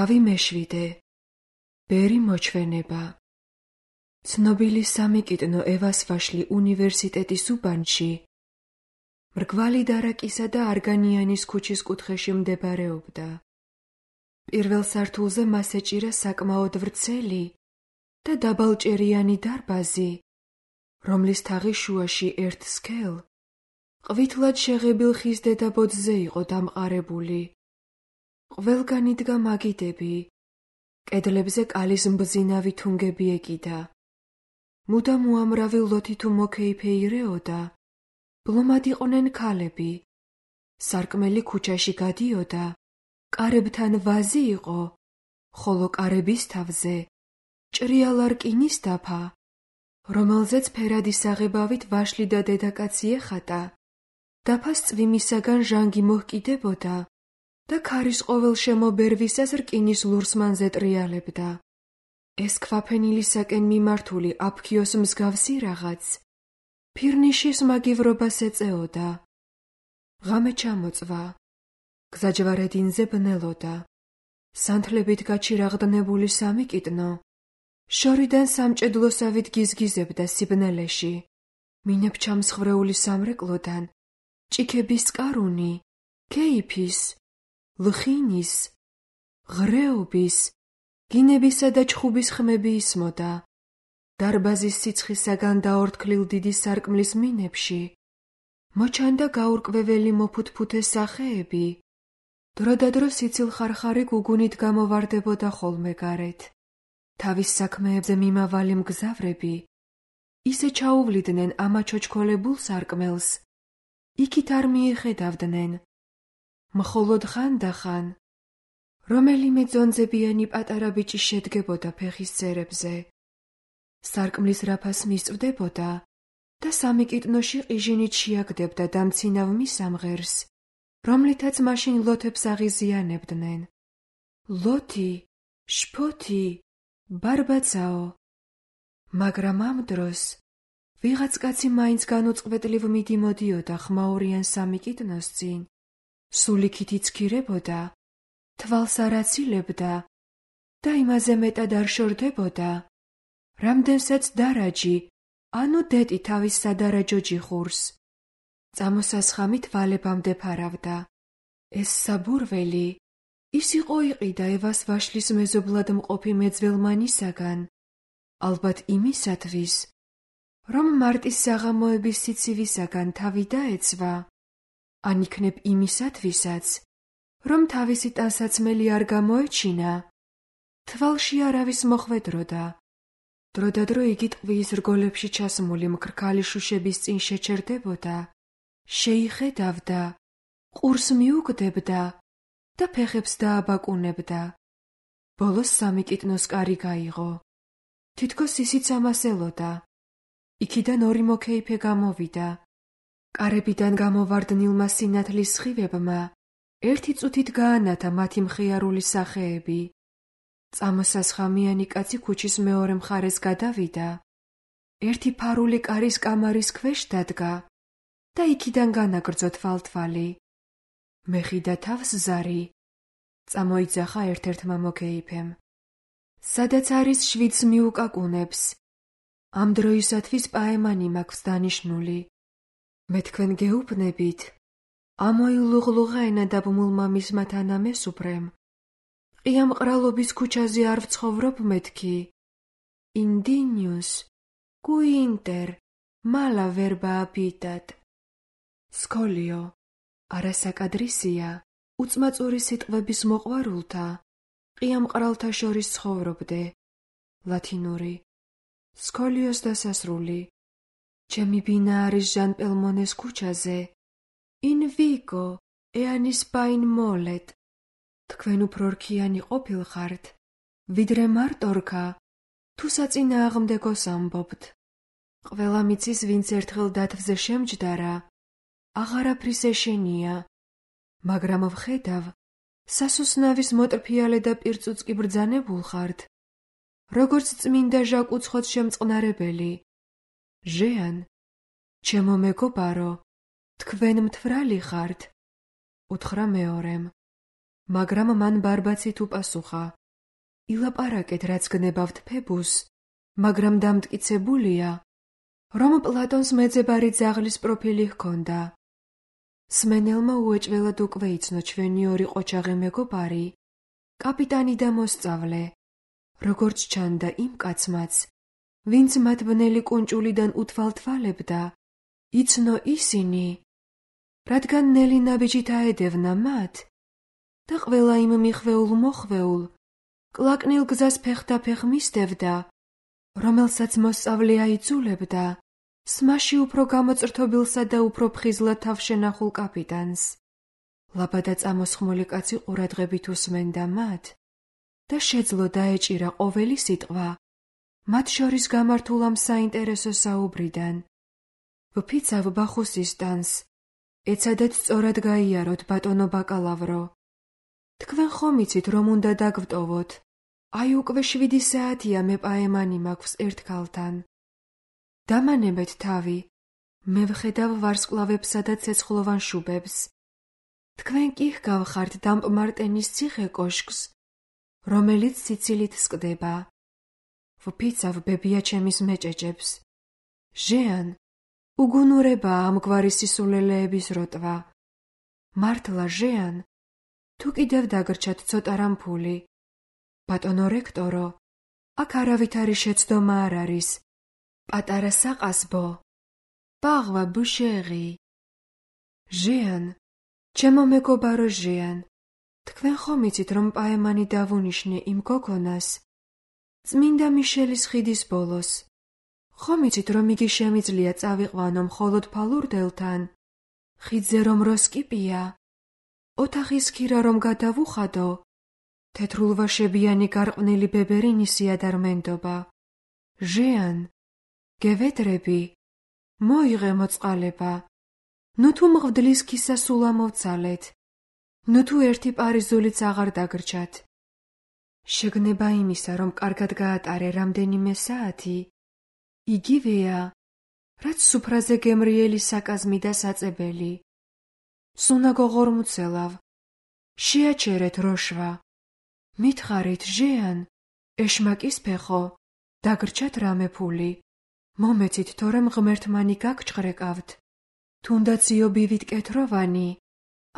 თავი მეშვიდე. ბერი მოჩვენება. ცნობილი სამიკიტნო ევას ვაშლი უნივერსიტეტის უბანში მრგვალი დარაკისა და არგანიანის ქუჩის კუთხეში მდებარეობდა. პირველ სართულზე მას ეჭირა საკმაოდ ვრცელი და დაბალჭერიანი დარბაზი, რომლის თაღის შუაში ერთ სქელ ყვითლად შეღებილ ხის დედაბოძზე იყო დამყარებული. ყველგან იდგა მაგიდები, კედლებზე კალის მბზინავი თუნგები ეკიდა. მუდამ უამრავი ლოთი თუ მოკეიფე ირეოდა, ბლომად იყვნენ ქალები. სარკმელი ქუჩაში გადიოდა, კარებთან ვაზი იყო, ხოლო კარების თავზე ჭრიალა რკინის დაფა, რომელზეც ფერადი საღებავით ვაშლი და დედაკაცი ეხატა. დაფას წვიმისაგან ჟანგი მოჰკიდებოდა და ქარის ყოველ შემობერვისას რკინის ლურსმანზე ტრიალებდა. ეს ქვაფენილისაკენ მიმართული აფქიოს მსგავსი რაღაც ფირნიშის მაგივრობას ეწეოდა. ღამე ჩამოწვა. გზაჯვარედინზე ბნელოდა. სანთლებით გაჩირაღდნებული სამიკიტნო შორიდან სამჭედლოსავით გიზგიზებდა სიბნელეში. მინებჩამსხვრეული სამრეკლოდან ჭიქების წყარუნი, ქეიფის, ლხინის, ღრეობის, გინებისა და ჩხუბის ხმები ისმოდა. დარბაზის სიცხისაგან დაორთქლილ დიდი სარკმლის მინებში მოჩანდა გაურკვეველი მოფუთფუთე სახეები. დროდადრო სიცილხარხარი გუგუნით გამოვარდებოდა ხოლმე გარეთ. თავის საქმეებზე მიმავალი მგზავრები ისე ჩაუვლიდნენ ამაჩოჩქოლებულ სარკმელს, იქით არ მიეხედავდნენ. მხოლოდ ხანდახან რომელიმე ძონძებიანი პატარა ბიჭი შედგებოდა ფეხის ცერებზე. სარკმლის რაფას მისწვდებოდა და სამიკიტნოში ყიჟინით შეაგდებდა დამცინავ მისამღერს, რომლითაც მაშინ ლოთებს აღიზიანებდნენ. ლოთი, შფოთი, ბარბაცაო. მაგრამ ამ დროს ვიღაც კაცი მაინც განუწყვეტლივ მიდიმოდიოდა ხმაურიან სამიკიტნოს წინ, სულიქით იცქირებოდა, თვალს არ აცილებდა და იმაზე მეტად არ შორდებოდა, რამდენსაც დარაჯი, ანუ დეტი თავის სადარაჯო ჯიხურს. წამოსასხამით ვალებამდე ფარავდა. ეს საბურველი ის იყო იყიდა ევას ვაშლის მეზობლად მყოფი მეძველმანისაგან, ალბათ იმისათვის, რომ მარტის საღამოების სიცივისაგან თავი დაეცვა, ან იქნებ იმისათვისაც, რომ თავისი ტანსაცმელი არ გამოეჩინა. თვალში არავის მოხვედროდა. დროდადრო იგი ტყვის რგოლებში ჩასმული მქრქალი შუშების წინ შეჩერდებოდა, შეიხედავდა, ყურს მიუგდებდა და ფეხებს დააბაკუნებდა. ბოლოს სამიკიტნოს კარი გაიღო. თითქოს ისიც ამას ელოდა. იქიდან ორი მოკეიფე გამოვიდა. კარებიდან გამოვარდნილმა სინათლის სხივებმა ერთი წუთით გაანათა მათი მხიარული სახეები. წამოსასხამიანი კაცი ქუჩის მეორე მხარეს გადავიდა. ერთი ფარული კარის კამარის ქვეშ დადგა და იქიდან განაგრძო თვალთვალი. მეხიდა თავს ზარი. წამოიძახა ერთ-ერთმა მოკეიფემ. სადაც არის შვიდს მიუკაკუნებს. ამ დროისათვის პაემანი მაქვს დანიშნული. მე თქვენ გეუბნებით, ამოილუღლუღა ენა დაბმულმა მისმა თანამესუბრემ. ყია მყრალობის ქუჩაზე არ ვცხოვრობ მეთქი. ინდინიუს, კუინტერ, მალა ვერბა აბიტად. სკოლიო, არასაკადრისია, უწმაწური სიტყვების მოყვარულთა, ყია მყრალთა შორის ცხოვრობდე. ლათინური. სკოლიოს დასასრული. ჩემი ბინა არის ჟან პელმონეს ქუჩაზე. In Vigo, eanis pain molet. თქვენ უფრო რქიანი ყოფილხართ, ვიდრე მარტორქა, თუ საწინააღმდეგოს ამბობთ. ყველა მიცის, ვინც ერთხელ დათვზე შემჯდარა, აღარაფრის ეშენია, მაგრამ ვხედავ, სასოსნავის მოტრფიალე და პირწუწკი ბრძანებულ ხართ, როგორც წმინდა ჟაკ უცხოც შემწყნარებელი. ჟეან, ჩემო მეგობარო, თქვენ მთვრალი ხართ, უთხრა მეორემ. მაგრამ მან ბარბაცით უპასუხა: ილაპარაკეთ, რაც გნებავთ ფებუსს, მაგრამ დამტკიცებულია, რომ პლატონს მეძებარი ძაღლის პროფილი ჰქონდა. სმენელმა უეჭველად უკვე იცნო ჩვენი ორი ყოჩაღი მეგობარი, კაპიტანი და მოსწავლე, როგორც ჩანდა იმ კაცმაც, ვინც მათ ბნელი კუნჭულიდან უთვალთვალებდა, იცნო ისინი, რადგან ნელი ნაბიჯით აედევნა მათ და ყველა იმ მიხვეულ მოხვეულ, კლაკნილ გზას ფეხდაფეხ მისდევდა, რომელსაც მოსწავლე აიძულებდა, სმაში უფრო გამოწრთობილსა და უფრო ფხიზლად თავშენახულ კაპიტანს. ლაბადა წამოსხმული კაცი ყურადღებით უსმენდა მათ და შეძლო დაეჭირა ყოველი სიტყვა მათ შორის გამართულ ამ საინტერესო საუბრიდან. ვფიცავ ბახუსისტანს, ეცადეთ სწორად გაიაროთ, ბატონო ბაკალავრო. თქვენ ხომ იცით, რომ უნდა დაგვტოვოთ? აი უკვე 7 საათია მე პაემანი მაქვს ერთ ქალთან. დამანებეთ თავი, მე ვხედავ ვარსკვლავებსა და ცეცხლოვან შუბებს. თქვენ კი ჰგავხართ დამპმარტენის ციხე კოშკს, რომელიც სიცილით სკდება. ვფიცავ ბებია ჩემის მეჭეჭებს. ჟეან, უგუნურებაა ამგვარი სისულელეების როტვა. მართლა, ჟეან, თუ კიდევ დაგრჩათ ცოტა რამფული. ბატონო რექტორო, აქ არავითარი შეცდომა არ არის. პატარა საყასბო. პაღვა ბუშეღი. ჟეან, ჩემო მეგობარო ჟეან, თქვენ ხომ იცით, რომ პაემანი დავუნიშნე იმ გოგონას წმინდა მიშელის ხიდის ბოლოს? ხომ იცით, რომ იგი შემიძლია წავიყვანო მხოლოდ ფალურდელთან, ხიდზე რომ როსკიპია, ოთახის ქირა რომ გადავუხადო, თეთრულვაშებიანი გარყვნილი ბებერინისია და რმენდობა. ჟეან, გევედრები, მოიღე მოწყალება. ნუ თუ მღვდლის ქისა სულ ამოვცალეთ, ნუ თუ ერთი პარიზულიც აღარ დაგრჩათ. შეგნება იმისა, რომ კარგად გაატარე რამდენიმე საათი, იგივეა, რაც სუფრაზე გემრიელი საკაზმი და საწებელი. სუნაგოგორ მუცელავ, შეაჩერეთ როშვა. მითხარით, ჟეან, ეშმაკის ფეხო, დაგრჩათ რამე ფული. მომეცით, თორემ ღმერთმანი გაგჭყრეკავთ. თუნდაც იობივით კეთროვანი,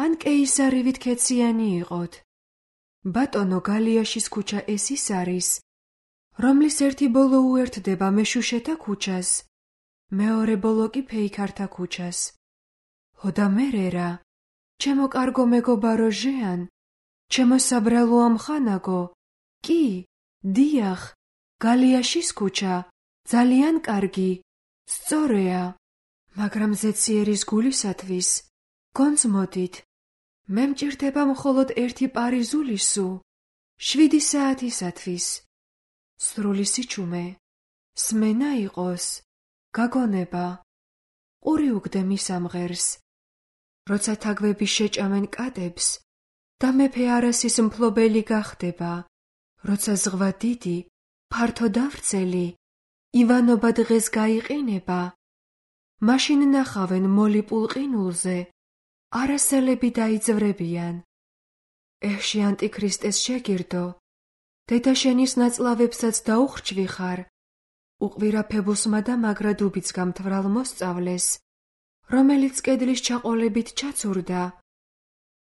ან კეისარივით ქეციანი იყოთ. ბატონო, გალიაში ქუჩა ეს ის არის, რომლის ერთი ბოლო უერთდება მეშუშეთა ქუჩას, მეორე ბოლო კი ფეიქართა ქუჩას. ჰოდა მერერა, ჩემო კარგო მეგობარო ჟეან, ჩემო საბრალო ამხანაგო, კი, დიახ, გალიაში ქუჩა, ძალიან კარგი, სწორეა, მაგრამ ზეციერის გულისათვის, გონძმოდით, მე მჭირდება მხოლოდ ერთი პარიზული სუ, 7 საათისათვის. სრული სიჩუმე, სმენა იყოს, გაგონება, ყური უგდე მის ამღერს. როცა თაგვები შეჭამენ კატებს და მეფე არასის მფლობელი გახდება, როცა ზღვა დიდი, ფართო და ვრცელი, ივანობა დღეს გაიყინება, მაშინ ნახავენ მოლიპულ ყინულზე, არასელები დაიძვრებიან. ეში ანტიქრისტეს შეგირდო, დედა შენის ნაწლავებსაც დაუხრჩვი ხარ, უყვირა ფებუსმა და მაგრად უბიძგა მთვრალ მოსწავლეს, რომელიც კედლის ჩაყოლებით ჩაცურდა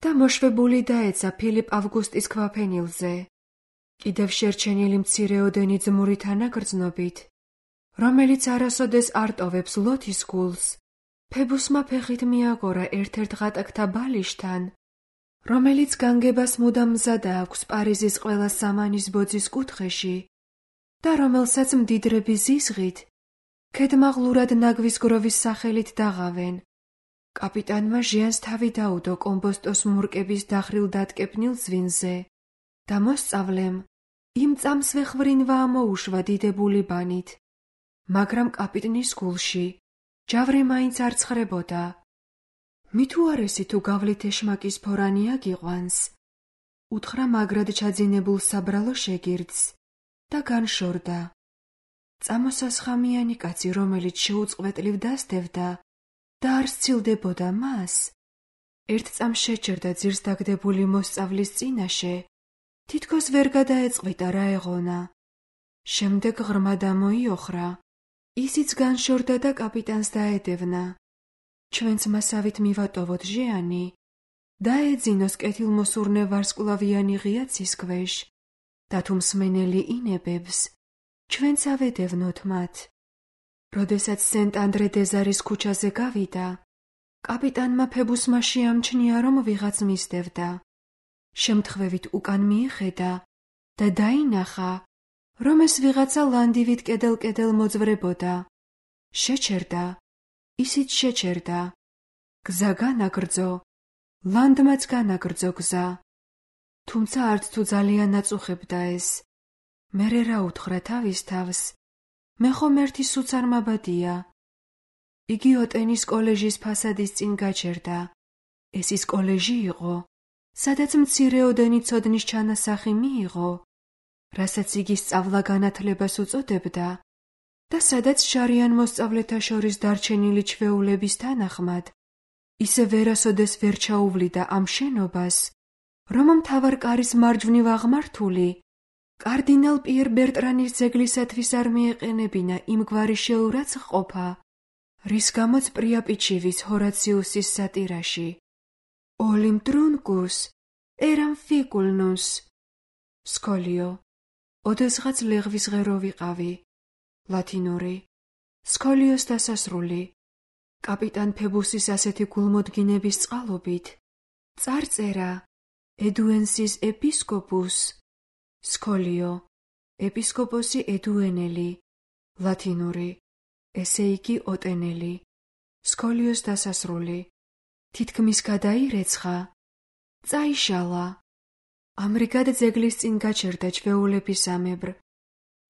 და მოშვებული დაეცა ფილიპ ავგუსტის ქვაფენილზე, კიდევ შერჩენილი მცირეოდენი ძმური თანაგრძნობით, რომელიც არასოდეს არ ტოვებს ლოთის გულს. ფებუსმა ფეხით მიაღორა ერთ-ერთ ღატაკთა ბალიშთან, რომელიც განგებას მუდამ მზადა აქვს პარიზის ყველა სამანის ბოძის კუთხეში და რომელსაც მდიდრები ზიზღით, ქედმაღლურად ნაგვის გროვის სახელით დაღავენ. კაპიტანმა ჟიანს თავი დაუდო კომბოსტოს მურკების დახრილ დატკეპნილ ზვინზე და მოსწავლემ იმ წამსვე ხვრინვა ამოუშვა დიდებული ბანით, მაგრამ კაპიტნის გულში ჯავრი მაინც არ ცხრებოდა. მითუ არესი თუ გავლით ეშმაკის ფორანი აგიყვანს, უთხრა მაგრად ჩაძინებულ საბრალო შეგირდს და განშორდა. წამოსასხამიანი კაცი, რომელიც შეუწყვეტლივ დასდევდა და არ სცილდებოდა მას, ერთ წამს შეჩერდა ძირს დაგდებული მოსწავლის წინაშე, თითქოს ვერ გადაეწყვიტა რა ეღონა. შემდეგ ღრმა დამოიოხრა, ისიც განშორდა და კაპიტანს დაედევნა. ჩვენც მასავით მივატოვოთ ჟიანი, დაეძინოს კეთილმოსურნე ვარსკვლავიანი ღია ცის ქვეშ და თუ მსმენელი ინებებს, ჩვენც ავედევნოთ მათ. როდესაც სენტ-ანდრე-დე-ზარის ქუჩაზე გავიდა, კაპიტანმა ფებუსმა შეამჩნია, რომ ვიღაც მისდევდა. შემთხვევით უკან მიეხედა და დაინახა, რომ ეს ვიღაცა ლანდივით კედელ-კედელ მოძვრებოდა. შეჩერდა, ისიც შეჩერდა. გზა განაგრძო, ლანდმაც განაგრძო გზა. თუმცა არც თუ ძალიან აწუხებდა ეს. მერე რა უთხრა თავის თავს, მე ხომ ერთი სუცარ მაბადია. იგი ოტენის კოლეჟის ფასადის წინ გაჩერდა. ეს ის კოლეჟი იყო, სადაც მცირეოდენი ცოდნის ჩანასახი მიიღო, რასაც იგი სწავლა-განათლებას უწოდებდა და სადაც შარიან მოსწავლეთა შორის დარჩენილი ჩვეულების თანახმად ისე ვერასოდეს ვერ ჩაუვლიდა ამ შენობას, რომ მთავარ კარის მარჯვნივ აღმართული კარდინალ პიერ ბერტრანის ძეგლისათვის არ მიეყენებინა იმგვარი შეურაცხყოფა, რის გამოც პრიაპიჩივის ჰორაციუსის სატირაში ოლიმ ტრუნკუს ერამ ფიკულნუს. სკოლიო, ოდესღაც ლეღვის ღერო ვიყავი. ლათინური. სკოლიოს დასასრული. კაპიტან ფებუსის ასეთი გულმოდგინების წყალობით. წარწერა ედუენსის ეპისკოპუს. სკოლიო, ეპისკოპოსი ედუენელი. ლათინური. ესე იგი ოტენელი. სკოლიოს დასასრული. თითქმის გადაირეცხა. წაიშალა. ამრიგად ძეგლის წინ გაჩერდა ჩვეულების ამებრ.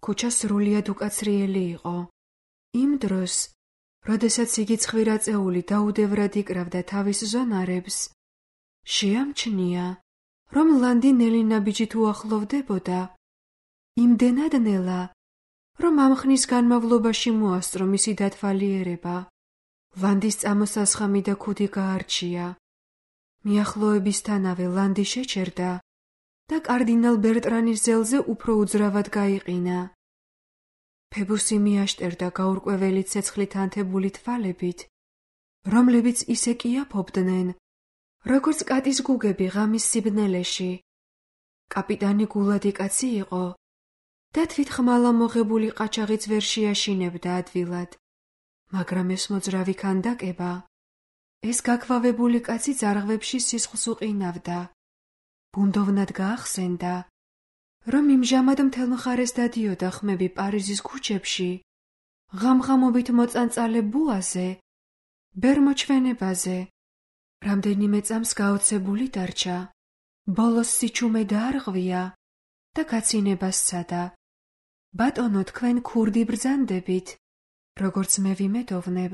ქუჩა სრულიად უკაცრიელი იყო. იმ დროს, როდესაც იგი ცხვირაწეული დაუდევრად იკრავდა თავის ზონარებს, შეამჩნია, რომ ლანდი ნელი ნაბიჯით უახლოვდებოდა. იმდენად ნელა, რომ ამ ხნის განმავლობაში მოასწრო მისი დათვალიერება. ლანდის წამოსასხამი და ქუდი გაარჩია. მიახლოებისთანავე ლანდი შეჩერდა და კარდინალ ბერტრანის ძელზე უფრო უძრავად გაიყინა. ფებუსი მიაშტერდა გაურკვეველი ცეცხლით ანთებული თვალებით, რომლებიც ისე კიაფობდნენ, როგორც კატის გუგები ღამის სიბნელეში. კაპიტანი გულადი კაცი იყო და თვითხმალა მოღებული ყაჩაღიც ვერ შეაშინებდა ადვილად, მაგრამ ეს მოძრავი ქანდაკება, ეს გაქვავებული კაცი ძარღვებში სისხლს უყინავდა. ბუნდოვნად გაახსენდა, რომ იმჟამად მთელ მხარეს დადიოდა ხმები პარიზის ქუჩებში, ღამღამობით მოწანწალე ბუაზე, ბერმოჩვენებაზე. რამდენიმე წამს გაოცებული დარჩა, ბოლოს სიჩუმე დაარღვია და გაცინებას სცადა. ბატონო, თქვენ ქურდი ბრძანდებით, როგორც მე ვიმედოვნებ,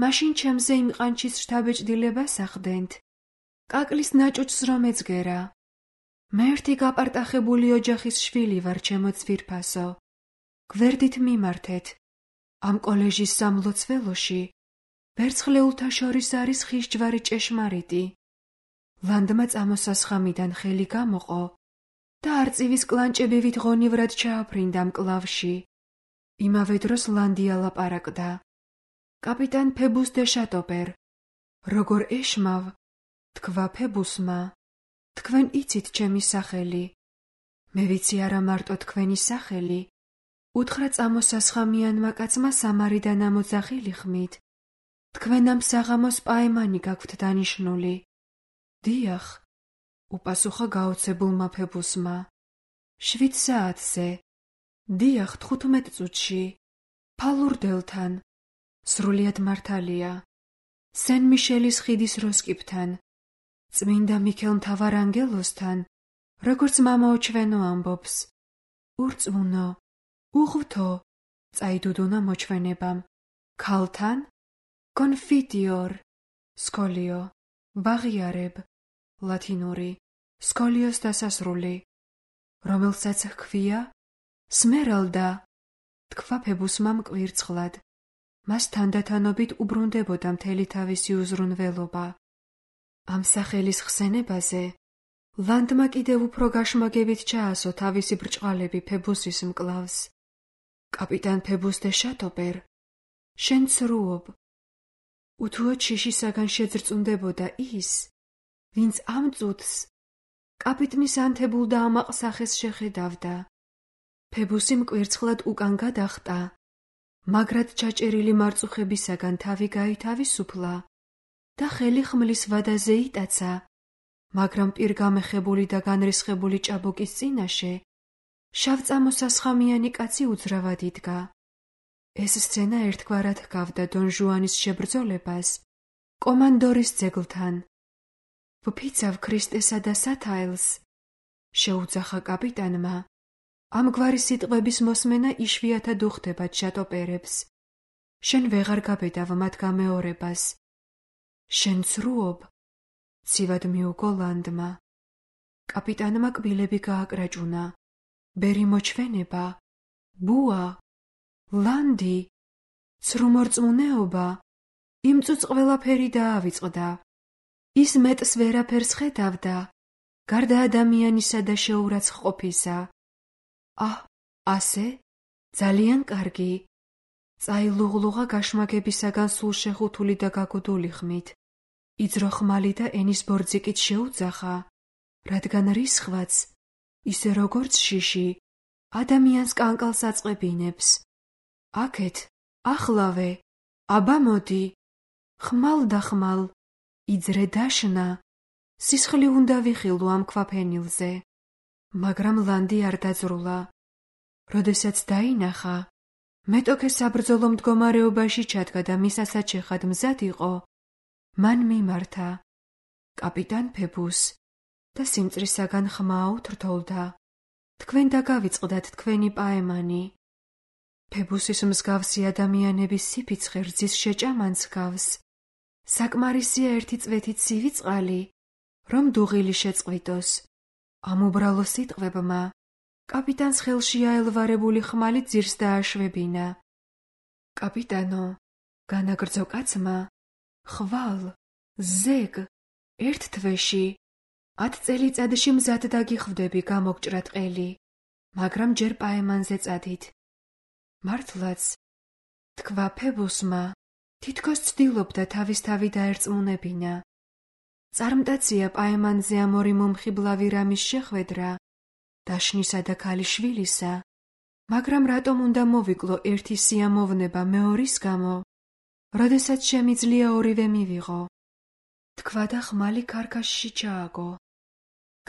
მაშინ ჩემზე იმ ყანჩის შთაბეჭდილებას ახდენთ. კაკლის ნაჭუჭს რომ ეძგერა. მე ერთი გაპარტახებული ოჯახის შვილი ვარ, ჩემო ძვირფასო. გვერდით მიმართეთ. ამ კოლეჟის სამლოცველოში ვერცხლეულთა შორის არის ხის ჯვარი ჭეშმარიტი. ლანდმა წამოსასხამიდან ხელი გამოყო და არწივის კლანჭებივით ღონივრად ჩააფრინდა მკლავში. იმავე დროს ლანდი ალაპარაკდა. კაპიტან ფებუს დე შატოპერ, როგორ ეშმავ, თქვა ფებუსმა, თქვენ იცით ჩემი სახელი. მე ვიცი არა მარტო თქვენი სახელი, უთხრა წამოსასხამიანმა კაცმა სამარიდან ამოძახილი ხმით. თქვენ ამ საღამოს პაემანი გაქვთ დანიშნული. დიახ, უპასუხა გაოცებულმა ფებუსმა. 7 საათზე. დიახ, 15 წუთში. ფალურდელთან. სრულიად მართალია. სენ მიშელის ხიდის როსკიპთან. წმინდა მიქელ მთავარანგელოსთან, როგორც მამაო ჩვენო ამბობს. ურწმუნო, უღვთო, წაიდუდუნა მოჩვენებამ. ქალთან? კონფიტიორ. სკოლიო. ვაღიარებ. ლათინური. სკოლიოს დასასრული. რომელსაც ჰქვია? სმერალდა. თქვა ფებუსმა მკვირცხლად. მას თანდათანობით უბრუნდებოდა მთელი თავისი უზრუნველობა. ამ სახელის ხსენებაზე ლანდმა კიდევ უფრო გაშმაგებით ჩაასო თავისი ბრჭყალები ფებუსის მკლავს. კაპიტან ფებუს დე შატოპერ, შენ ცრუობ. უთუოდ შიშისაგან შეძრწუნდებოდა ის, ვინც ამ წუთს კაპიტნის ანთებულ და ამაყ სახეს შეხედავდა. ფებუსი მკვირცხლად უკან გადახტა, მაგრად ჩაჭერილი მარწუხებისაგან თავი გაითავისუფლა და ხელი ხმლის ვადაზე იტაცა, მაგრამ პირგამეხებული და განრისხებული ჭაბუკის წინაშე შავწამოსასხამიანი კაცი უძრავად იდგა. ეს სცენა ერთგვარად ჰგავდა დონ ჟუანის შებრძოლებას კომანდორის ძეგლთან. ვფიცავ ქრისტესა და სათაელს, შეუძახა კაპიტანმა. ამგვარი სიტყვების მოსმენა იშვიათად უხდება შატოპერებს. შენ ვეღარ გაბედავ მათ გამეორებას. შენ ცრუობ, ცივად მიუგო ლანდმა. კაპიტანმა კბილები გააკრაჭუნა. ბერი მოჩვენება, ბუა, ლანდი, ცრუმორწმუნეობა, იმ წუთს ყველაფერი დაავიწყდა. ის მეტს ვერაფერს ხედავდა, გარდა ადამიანისა და შეურაცხ ყოფისა. ასე? ძალიან კარგი. წაილუღლუღა გაშმაგებისაგან სულ შეხუთული და გაგუდული ხმით. იძრო ხმალი და ენის ბორძიკით შეუძახა, რადგან რისხვაც, ისე როგორც შიში, ადამიანს კანკალს აწყებინებს. აქეთ, ახლავე, აბა მოდი, ხმალ და ხმალ, იძრე დაშნა, სისხლი უნდა ვიხილო ამ ქვაფენილზე. მაგრამ ლანდი არ დაძრულა. როდესაც დაინახა, მეტოქე საბრძოლო მდგომარეობაში ჩადგა და მისასაჩეხად მზად იყო, მან მიმართა კაპიტან ფებუს და სიმწრისაგან ხმაოდ რთოლდა. თქვენ დაგავიწყდათ თქვენი პაემანი. ფებუსის მსგავსი ადამიანების სიფიცხე რძის შეჭამანს გავს. საკმარისია ერთი წვეთით ცივი წყალი, რომ დუღილი შეწყვიტოს. ამ უბრალო სიტყვებმა კაპიტანს ხელში აელვარებული ხმალი ძირს დააშვებინა. კაპიტანო, განაგრძო კაცმა, ხვალ, ზეგ, ერთ თვეში, 10 წელიწადში მზად დაგიხვდები გამოგჭრა ტყელი, მაგრამ ჯერ პაემანზე წადით. მართლაც, თქვა ფებუსმა, თითქოს ცდილობდა თავის-თავი დაერწმუნებინა. წარმტაცია პაემანზე ამ ორი მომხიბლავი რამის შეხვედრა, დაშნისა და ქალიშვილისა, მაგრამ რატომ უნდა მოვიკლო ერთი სიამოვნება მეორის გამო, როდესაც შემიძლია ორივე მივიღო. თქვა და ხმალი ქარქაშში ჩააგო.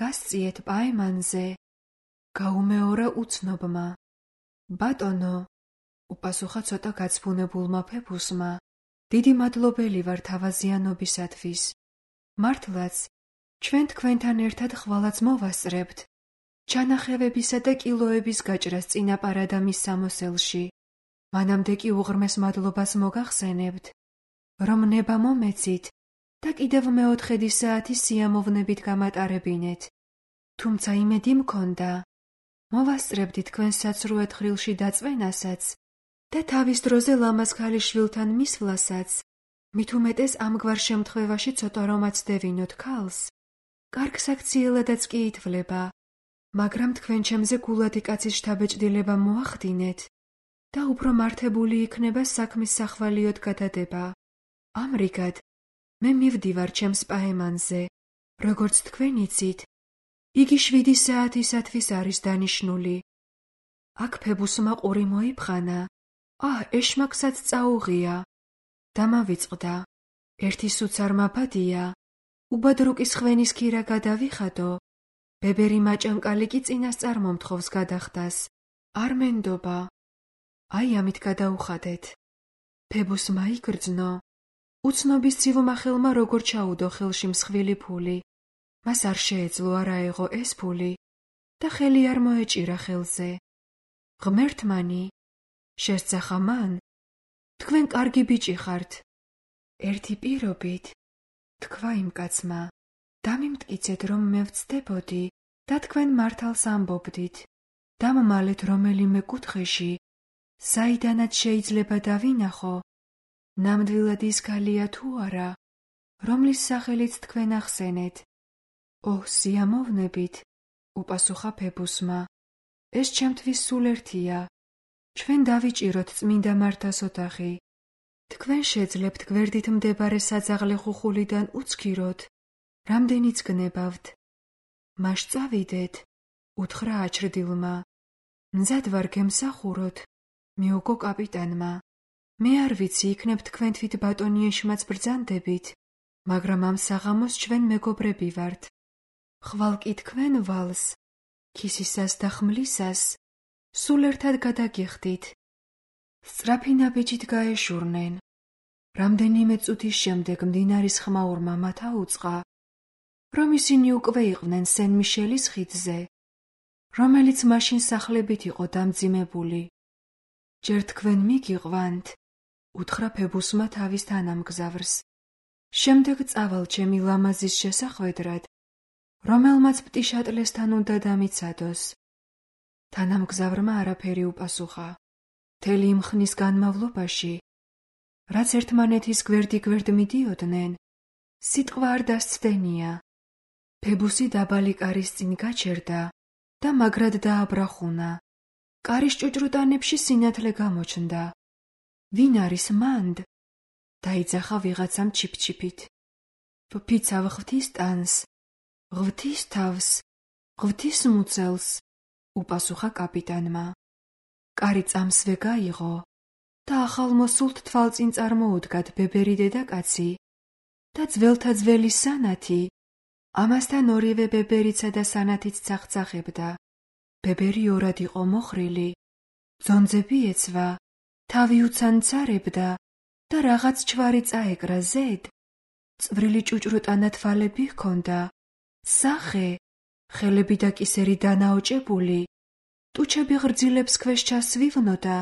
გასწიეთ პაემანზე, გაუმეორა უცნობმა. ბატონო, უპასუხა ცოტა გაცვუნებულმა ფებუსმა, დიდი მადლობელი ვარ თავაზიანობისათვის. მართლაც, ჩვენ თქვენთან ერთად ხვალაც მოვასწრებთ, ჩანახევებისა და კილოების გაჭრას წინაპარადამის სამოსელში. მანამდე კი უღრმეს მადლობას მოგახსენებთ, რომ ნება მომეცით და კიდევ მეოთხედი საათი სიამოვნებით გამატარებინეთ. თუმცა იმედი მქონდა, მოვასწრებდი თქვენ საცრუე თხრილში დაწვენასაც და თავის დროზე ლამაზ ქალიშვილთან მისვლასაც, მით უმეტეს ამგვარ შემთხვევაში ცოტა რომ აცდევინოთ ქალს, კარგ საქციელადაც კი ითვლება, მაგრამ თქვენ ჩემზე გულადი კაცის შთაბეჭდილება მოახდინეთ და უფრო მართებული იქნება საქმის სახვალიოდ გადადება. ამრიგად, მე მივდივარ ჩემს პაემანზე, როგორც თქვენ იცით, იგი 7 საათისათვის არის დანიშნული. აქ ფებუსმა ყური მოიფხანა, ეშმაკსაც წაუღია. დამავიწყდა, ერთი სუცარ მაფადია, უბადრუკის ხვენის ქირა გადავიხადო, ბებერი მაჭანკალი კი წინასწარ მომთხოვს გადახდას. არ მენდობა. აი ამით გადაუხადეთ. ფებუსმა იგრძნო. უცნობის ცივმა ხელმა როგორ ჩაუდო ხელში მსხვილი ფული. მას არ შეეძლო არ აეღო ეს ფული და ხელი არ მოეჭირა ხელზე. ღმერთმანი, შესძახა მან, თქვენ კარგი ბიჭი ხართ. ერთი პირობით, თქვა იმ კაცმა, დამიმტკიცეთ რომ მე ვცდებოდი და თქვენ მართალს ამბობდით. დამმალეთ რომელიმე კუთხეში, საიდანაც შეიძლება დავინახო, ნამდვილად ის ქალია თუ არა, რომლის სახელიც თქვენ ახსენეთ. ოჰ, სიამოვნებით, უპასუხა ფებუსმა. ეს ჩემთვის სულ ერთია. ჩვენ დავიჭიროთ წმინდა მართას ოთახი. თქვენ შეძლებთ გვერდით მდებარე საძაღლე ხუხულიდან უცქიროთ, რამდენიც გნებავთ. მას წავიდეთ, უთხრა აჩრდილმა. მზად ვარ გემსახუროთ, მიუგო კაპიტანმა. მე არ ვიცი იქნებ თქვენ თვით ბატონიეშმაც ბრძანდებით, მაგრამ ამ საღამოს ჩვენ მეგობრები ვართ. ხვალ კი თქვენ ვალს, ქისისას და ხმლისას, სულ ერთად გადაგიხდით. სწრაფი ნაბიჯით გაეშურნენ. რამდენიმე წუთის შემდეგ მდინარის ხმაურმა მათ აუწყა, რომ ისინი უკვე იყვნენ სენ-მიშელის ხიდზე, რომელიც მაშინ სახლებით იყო დამძიმებული. ჯერ თქვენ მიგიყვანთ, უთხრა ფებუსმა თავის თანამგზავრს. შემდეგ წავალ ჩემი ლამაზის შესახვედრად, რომელმაც პტიშატლესთან უნდა დამიცადოს. თანამგზავრმა არაფერი უპასუხა. მთელი იმ ხნის განმავლობაში, რაც ერთმანეთის გვერდ მიდიოდნენ, სიტყვა არ დასცდენია. ფებუსი დაბალი კარის წინ გაჩერდა და მაგრად დააბრახუნა. კარის ჭუჭრუტანებში სინათლე გამოჩნდა. ვინ არის მანდ? დაიძახა ვიღაცამ ჩიფ-ჩიფით. ვფიცავ ღვთის ტანს, ღვთის თავს, ღვთის მუცელს, უპასუხა კაპიტანმა. კარი წამსვე გაიღო და ახალმოსულთ თვალწინ წარმოუდგათ ბებერი დედაკაცი და ძველთა ძველი სანათი. ამასთან ორივე ბებერიცა და სანათიც ცახცახებდა. ბებერი ორად იყო მოხრილი, ძონძები ეცვა, თავი უცანცარებდა და რაღაც ჩვარი წაეკრა ზედ. წვრილი ჭუჭრუტანა თვალები ჰქონდა, სახე, ხელები და კისერი დანაოჭებული, ტუჩები ღრძილებს ქვეშ ჩასვივნოდა,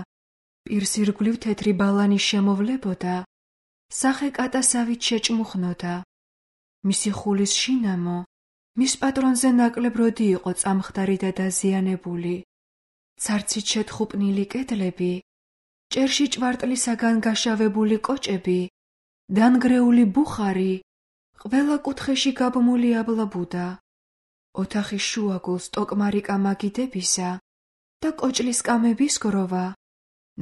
პირს ირგვლივ თეთრი ბალანი შემოვლებოდა, სახე კატასავით შეჭმუხნოდა. მისი ხულის შინამო, მის პატრონზე ნაკლებ როდი იყო წამხდარი და დაზიანებული. ცარცით შეთხუპნილი კედლები, ჭერში ჭვარტლისაგან გაშავებული კოჭები, დანგრეული ბუხარი, ყველა კუთხეში გაბმული აბლაბუდა. ოთახის შუაგულს ტოკმარი კამაგიდებისა და კოჭლის კამების გროვა,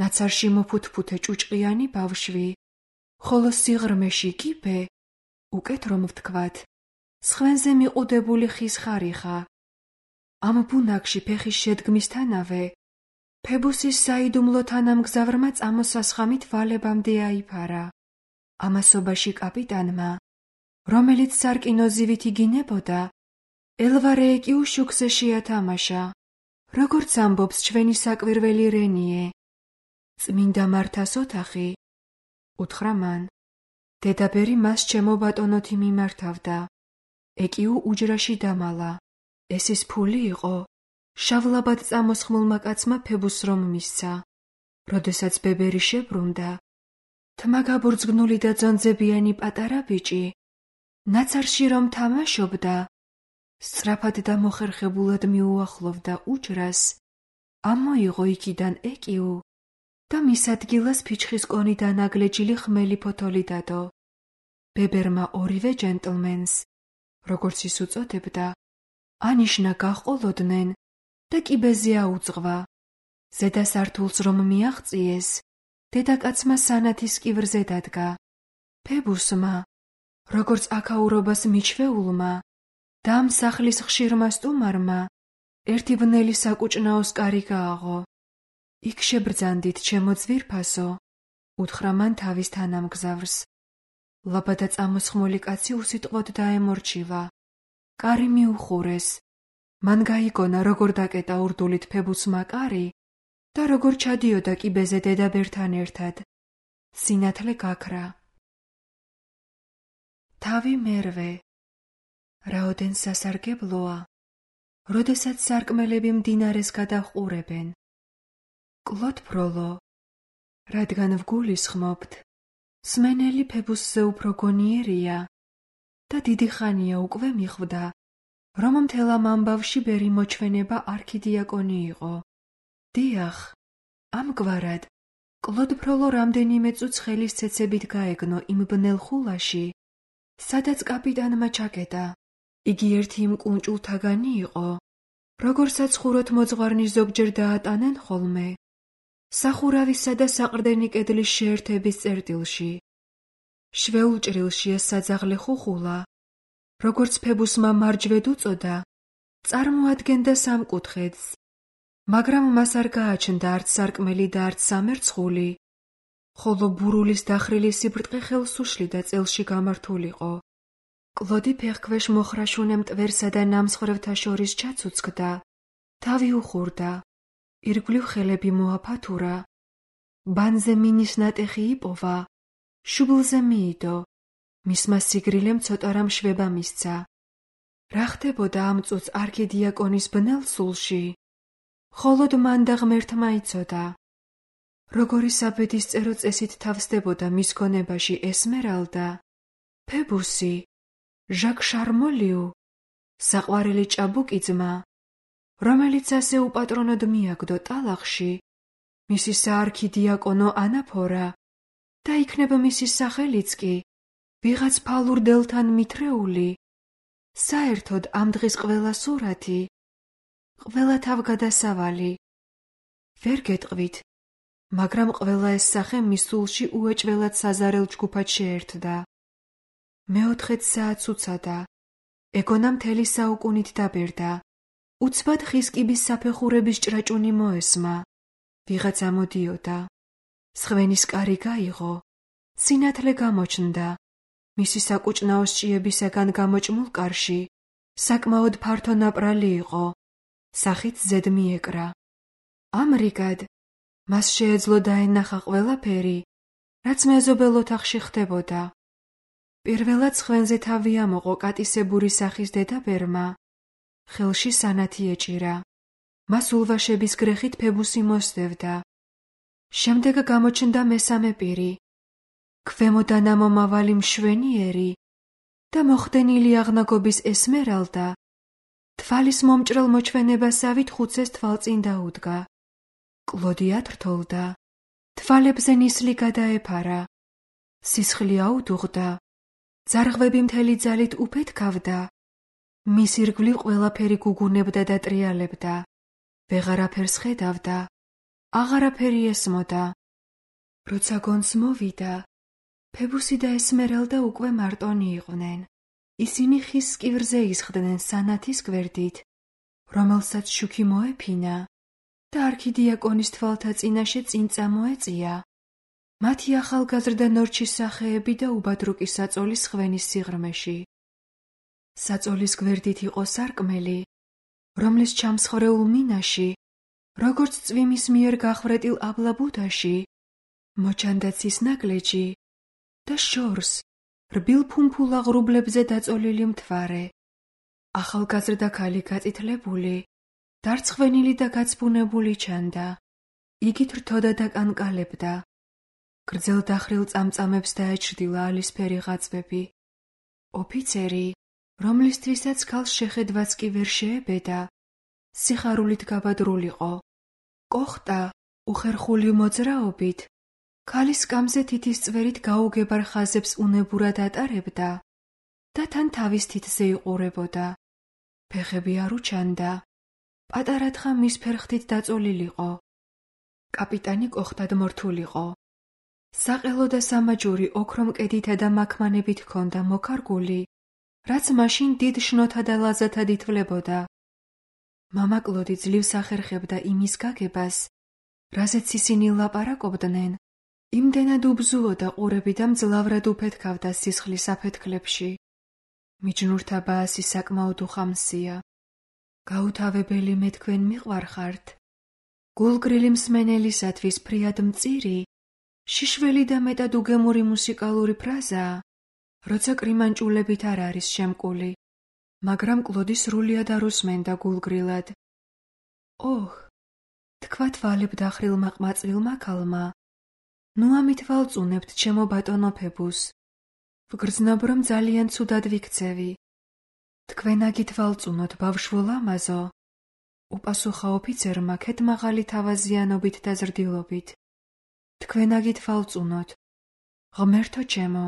ნაცარში მოფუთფუთე ჭუჭყიანი ბავშვი, ხოლო სიღრმეში კიბე, უკეთ რომ ვთქვათ, სხვენზე მიყუდებული ხის ხარიხა. ამ ბუნაგში ფეხის შედგმისთანავე, ფებუსის საიდუმლო თანამგზავრმა წამოსასხამით ვალებამდე აიფარა. ამასობაში კაპიტანმა, რომელიც სარკინოზივით იგინებოდა, ელვარეეკიუ შუქზე შეათამაშა, როგორც ამბობს ჩვენი საკვირველი რენიე. წმინდა მართას ოთახი, უთხრა მან. დედაბერი მას ჩემო ბატონოთი მიმართავდა. ეკიუ უჯრაში დამალა. ეს ის ფული იყო, შავლაბად წამოსხმულმა კაცმა ფებუსს რომ მისცა. როდესაც ბებერი შებრუნდა, თმა გაბურძგნული და ძონძებიანი პატარა ბიჭი, ნაცარში რომ თამაშობდა, სწრაფად და მოხერხებულად მიუახლოვდა უჯრას, ამოიღო იქიდან ეკიუ და მის ადგილას ფიჩხის კონიდან აგლეჯილი ხმელი ფოთოლი დადო. ბებერმა ორივე ჯენტლმენს, როგორც ის უწოდებდა, ანიშნა გაჰყოლოდნენ და კიბეზე აუძღვა. ზედა სართულს რომ მიაღწიეს, დედაკაცმა სანათის კივრზე დადგა. ფებუსმა, როგორც აქაურობას მიჩვეულმა და ამ სახლის ხშირმა სტუმარმა, ერთი ბნელი საკუჭნაოს კარი გააღო. იქ შებრძანდით, ჩემო ძვირფასო, უთხრა მან თავის თანამგზავრს. ლაბადა წამოსხმული კაცი უსიტყვოდ დაემორჩილა. კარი მიუხურეს. მან გაიგონა, როგორ დაკეტა ურდულით ფებუსმა კარი და როგორ ჩადიოდა კიბეზე დედაბერთან ერთად. სინათლე გაქრა. თავი მერვე. რაოდენ სასარგებლოა, როდესაც სარკმელები მდინარეს გადაჰყურებენ. კლოდ ფროლო, რადგან ვგულისხმობთ, სმენელი ფებუსზე უფრო გონიერია და დიდი ხანია უკვე მიხვდა, რომ მთელ ამ ამბავში ბერი მოჩვენება არქიდიაკონი იყო. დიახ, ამგვარად, კლოდ ფროლო რამდენიმე წუთს ხელის ცეცებით გაეგნო იმ ბნელ ხულაში, სადაც კაპიტანმა ჩაკეტა. იგი ერთი იმ კუნჭულთაგანი იყო, როგორცაც ხუროთ მოძღვარნის ზოგჯერ დაატანენ ხოლმე, სახურავისა და საყრდენი კედლის შეერთების წერტილში. შვეულ ჭრილში ეს საძაღლე ხუხულა, როგორც ფებუსმა მარჯვედ უწოდა, წარმოადგენდა სამკუთხედს, მაგრამ მას არ გააჩნდა არც სარკმელი და არც სამერცხული, ხოლო ბურულის დახრილი სიბრტყე ხელს უშლიდა წელში გამართულიყო. კლოდი ფეხქვეშ მოხრაშუნე მტვერსა და ნამსხვრევთა შორის ჩაცუცქდა, თავი უხურდა, ირგვლივ ხელები მოაფათურა, ბანზე მინის ნატეხი იპოვა, შუბლზე მიიდო, მისმა სიგრილემ ცოტა რამ შვება მისცა. რა ხდებოდა ამ წუთს არქიდიაკონის ბნელ სულში? მხოლოდ მან და ღმერთმა იცოდა. როგორი საბედისწერო წესით თავსდებოდა მის გონებაში ესმერალდა, ფებუსი, ჟაკ შარმოლიუ, საყვარელი ჭაბუკი ძმა, რომელიც ასე უპატრონოდ მიაგდო ტალახში, მისი საარქიდიაკონო ანაფორა და იქნება მისი სახელიც კი ვიღაც ფალურ დელთან მითრეული. საერთოდ ამ დღის ყველა სურათი, ყველა თავგადასავალი. ვერ გეტყვით, მაგრამ ყველა ეს სახე მის სულში უეჭველად საზარელ ჯგუფად შეერთდა. მეოთხედ საათს უცადა, ეგონა მთელი საუკუნით დაბერდა. უცბად ხის კიბის საფეხურების ჭრაჭუნი მოესმა. ვიღაცა მოდიოდა. სხვენის კარი გაიღო. სინათლე გამოჩნდა. მისი საკუჭნაო სჭიებისაგან გამოჭმულ კარში საკმაოდ ფართო ნაპრალი იყო. სახით ზედ მიეკრა. ამრიგად, მას შეეძლო დაენახა ყველაფერი, რაც მეზობელ ოთახში ხდებოდა. პირველად სხვენზე თავი ამოყო კატისებური სახის დედაბერმა. ხელში სანათი ეჭირა. მას ულვაშების გრეხით ფებუსი მოსდევდა. შემდეგ გამოჩნდა მესამე პირი, ქვემოდან ამომავალი მშვენიერი და მოხდენილი აღნაგობის ესმერალდა, თვალის მომჭრელ მოჩვენებასავით ხუცეს თვალწინ დაუდგა. კლოდი ათრთოლდა, თვალებზე ნისლი გადაეფარა, სისხლი აუდუღდა, ძარღვები მთელი ძალით უფეთქავდა, მის ირგვლივ ყველაფერი გუგუნებდა და ტრიალებდა, ვეღარაფერს ხედავდა, აღარაფერი ესმოდა. როცა გონს მოვიდა, ფებუსი და ესმერალდა უკვე მარტონი იყვნენ. ისინი ხის სკივრზე ისხდნენ სანათის გვერდით, რომელსაც შუქი მოეფინა და არქიდიაკონის თვალთა წინაშე წინ წამოეწია. მათი ახალგაზრდა ნორჩის სახეები და უბადრუკი საწოლის ხვენის სიღრმეში. საწოლის გვერდით იყო სარკმელი, რომლის ჩამსხვრეულ მინაში, როგორც წვიმის მიერ გახვრეტილ აბლაბუდაში, მოჩანდა ცის ნაგლეჯი და შორს რბილ ფუმფულ აღრუბლებზე დაწოლილი მთვარე. ახალგაზრდა ქალი გაწითლებული, დარცხვენილი და გაცბუნებული ჩანდა. იგი თრთოდა და კანკალებდა. გრძელ დახრილ წამწამებს დაეჩრდილა ალისფერი ღაწვები. ოფიცერი, რომლისთვისაც ქალს შეხედვაც კი ვერ შეებედა, სიხარულით გაბადრულიყო. კოხტა უხერხული მოძრაობით ქალის სკამზე თითის წვერით გაუგებარ ხაზებს უნებურად ატარებდა და თან თავის თითზე იყურებოდა. ფეხები არ უჩანდა. პატარა თხა მის ფერხთით დაწოლილიყო. კაპიტანი კოხტად მორთულიყო. საყელო და სამაჯური ოქრომკედითა და მაქმანებით ჰქონდა მოკარგული, რაც მაშინ დიდ შნოთა და ლაზათად ითვლებოდა. მამა კლოდი ძლივს ახერხებდა იმის გაგებას, რაზეც ისინი ლაპარაკობდნენ, იმდენად უბზუოდა ყურები და მძლავრად უფეთქავდა სისხლის აფეთქლებში. მიჯნურთა ბაასი საკმაოდ უხამსია. გაუთავებელი მე თქვენ მიყვარხართ. გულგრილი მსმენელისათვის ფრიად მწირი, შიშველი და მეტად უგემური მუსიკალური ფრაზაა, როცა კრიმანჭულებით არ არის შემკული, მაგრამ კლოდი სრულიად არ უსმენდა გულგრილად. ოჰ, თქვა თვალებ დახრილმა ყმაწვილმა ქალმა, ნუ ამით ვალწუნებთ ჩემო ბატონო ფებუს. ვგრძნობ, რომ ძალიან ცუდად ვიქცევი. თქვენ აგით ვალწუნოთ, ბავშვო ლამაზო, უპასუხა ოფიცერმა ქედმაღალი თავაზიანობით და ზრდილობით. თქვენ აგით ვალწუნოთ. ღმერთო ჩემო,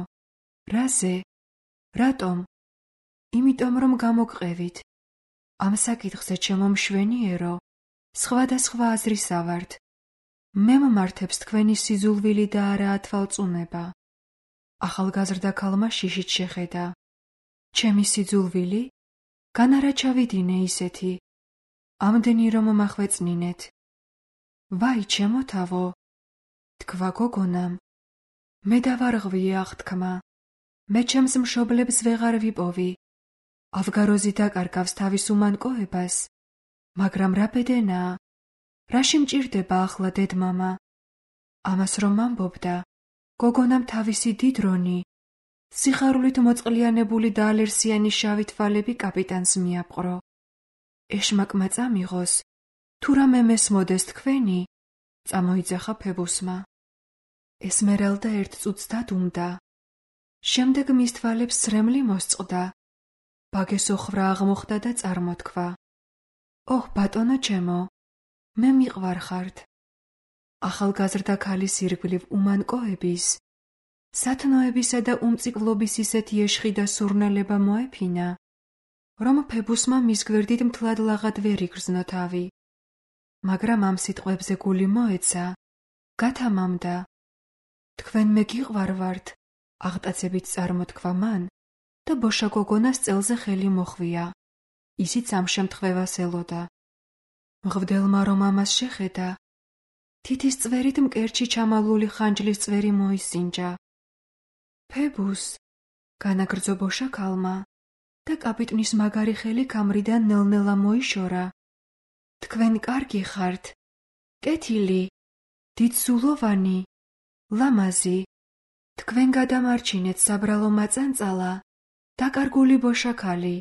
რაზე? რატომ? იმიტომ რომ გამოგყევით. ამ საკითხზე ჩემო მშვენიერო, სხვადასხვა აზრისა ვართ. მე მომართებს თქვენი სიძულვილი და არაა თვალწუნება. ახალგაზრდა ქალმა შიშით შეხედა. ჩემი სიძულვილი? განარა ჩავიდინე ისეთი. ამდენი რომ მახვეწნინეთ. ვაი, ჩემო თავო, თქვა გოგონამ. მე დავარღვიე აღთქმა. მე ჩემს მშობლებს ვეღარ ვიპოვი. ავგაროზი დაკარგავს თავის უმანკოებას, მაგრამ რა ბედენაა, რაში მჭირდება ახლა დედმამა? ამას რომ ამბობდა, გოგონამ თავისი დიდრონი, სიხარულით მოწყლიანებული და ალერსიანი შავი თვალები კაპიტანს მიაპყრო. ეშმაკმა წამიღოს, თუ რამე მესმოდეს თქვენი, წამოიძახა ფებუსმა. ესმერალდა ერთ წუთს დადუმდა. შემდეგ მის თვალებს სრემლი მოსწყდა. ბაგესოხრა აღმოხდა და წარმოთქვა. ოჰ, ბატონო ჩემო, მე მიყვარხართ. ახალგაზრდა ქალის ირგვლივ უმანკოების, სათნოებისა და უმწიკლობის ისეთი ეშხი და სურნელება მოეფინა, რომ ფებუსმა მის გვერდით მთლად ლაღად ვერ იგრძნო თავი. მაგრამ ამ სიტყვებზე გული მოეცა, გათამამდა. თქვენ მე გიყვარვართ, აღტაცებით წარმოთქვა მან და ბოშა გოგონას წელზე ხელი მოხვია. ისიც ამ შემთხვევას ელოდა. მღვდელმა რომ ამას შეხედა, თითის წვერით მკერჩი ჩამალული ხანჯლის წვერი მოისინჯა. ფებუს, განაგრძო ბოშა ქალმა და კაპიტნის მაგარი ხელი კამრიდან ნელ-ნელა მოიშორა. თქვენ კარგი ხართ, კეთილი, დიდსულოვანი, ლამაზი. თქვენ გადამარჩინეთ საბრალო მაწანწალა, დაკარგული ბოშა ქალი.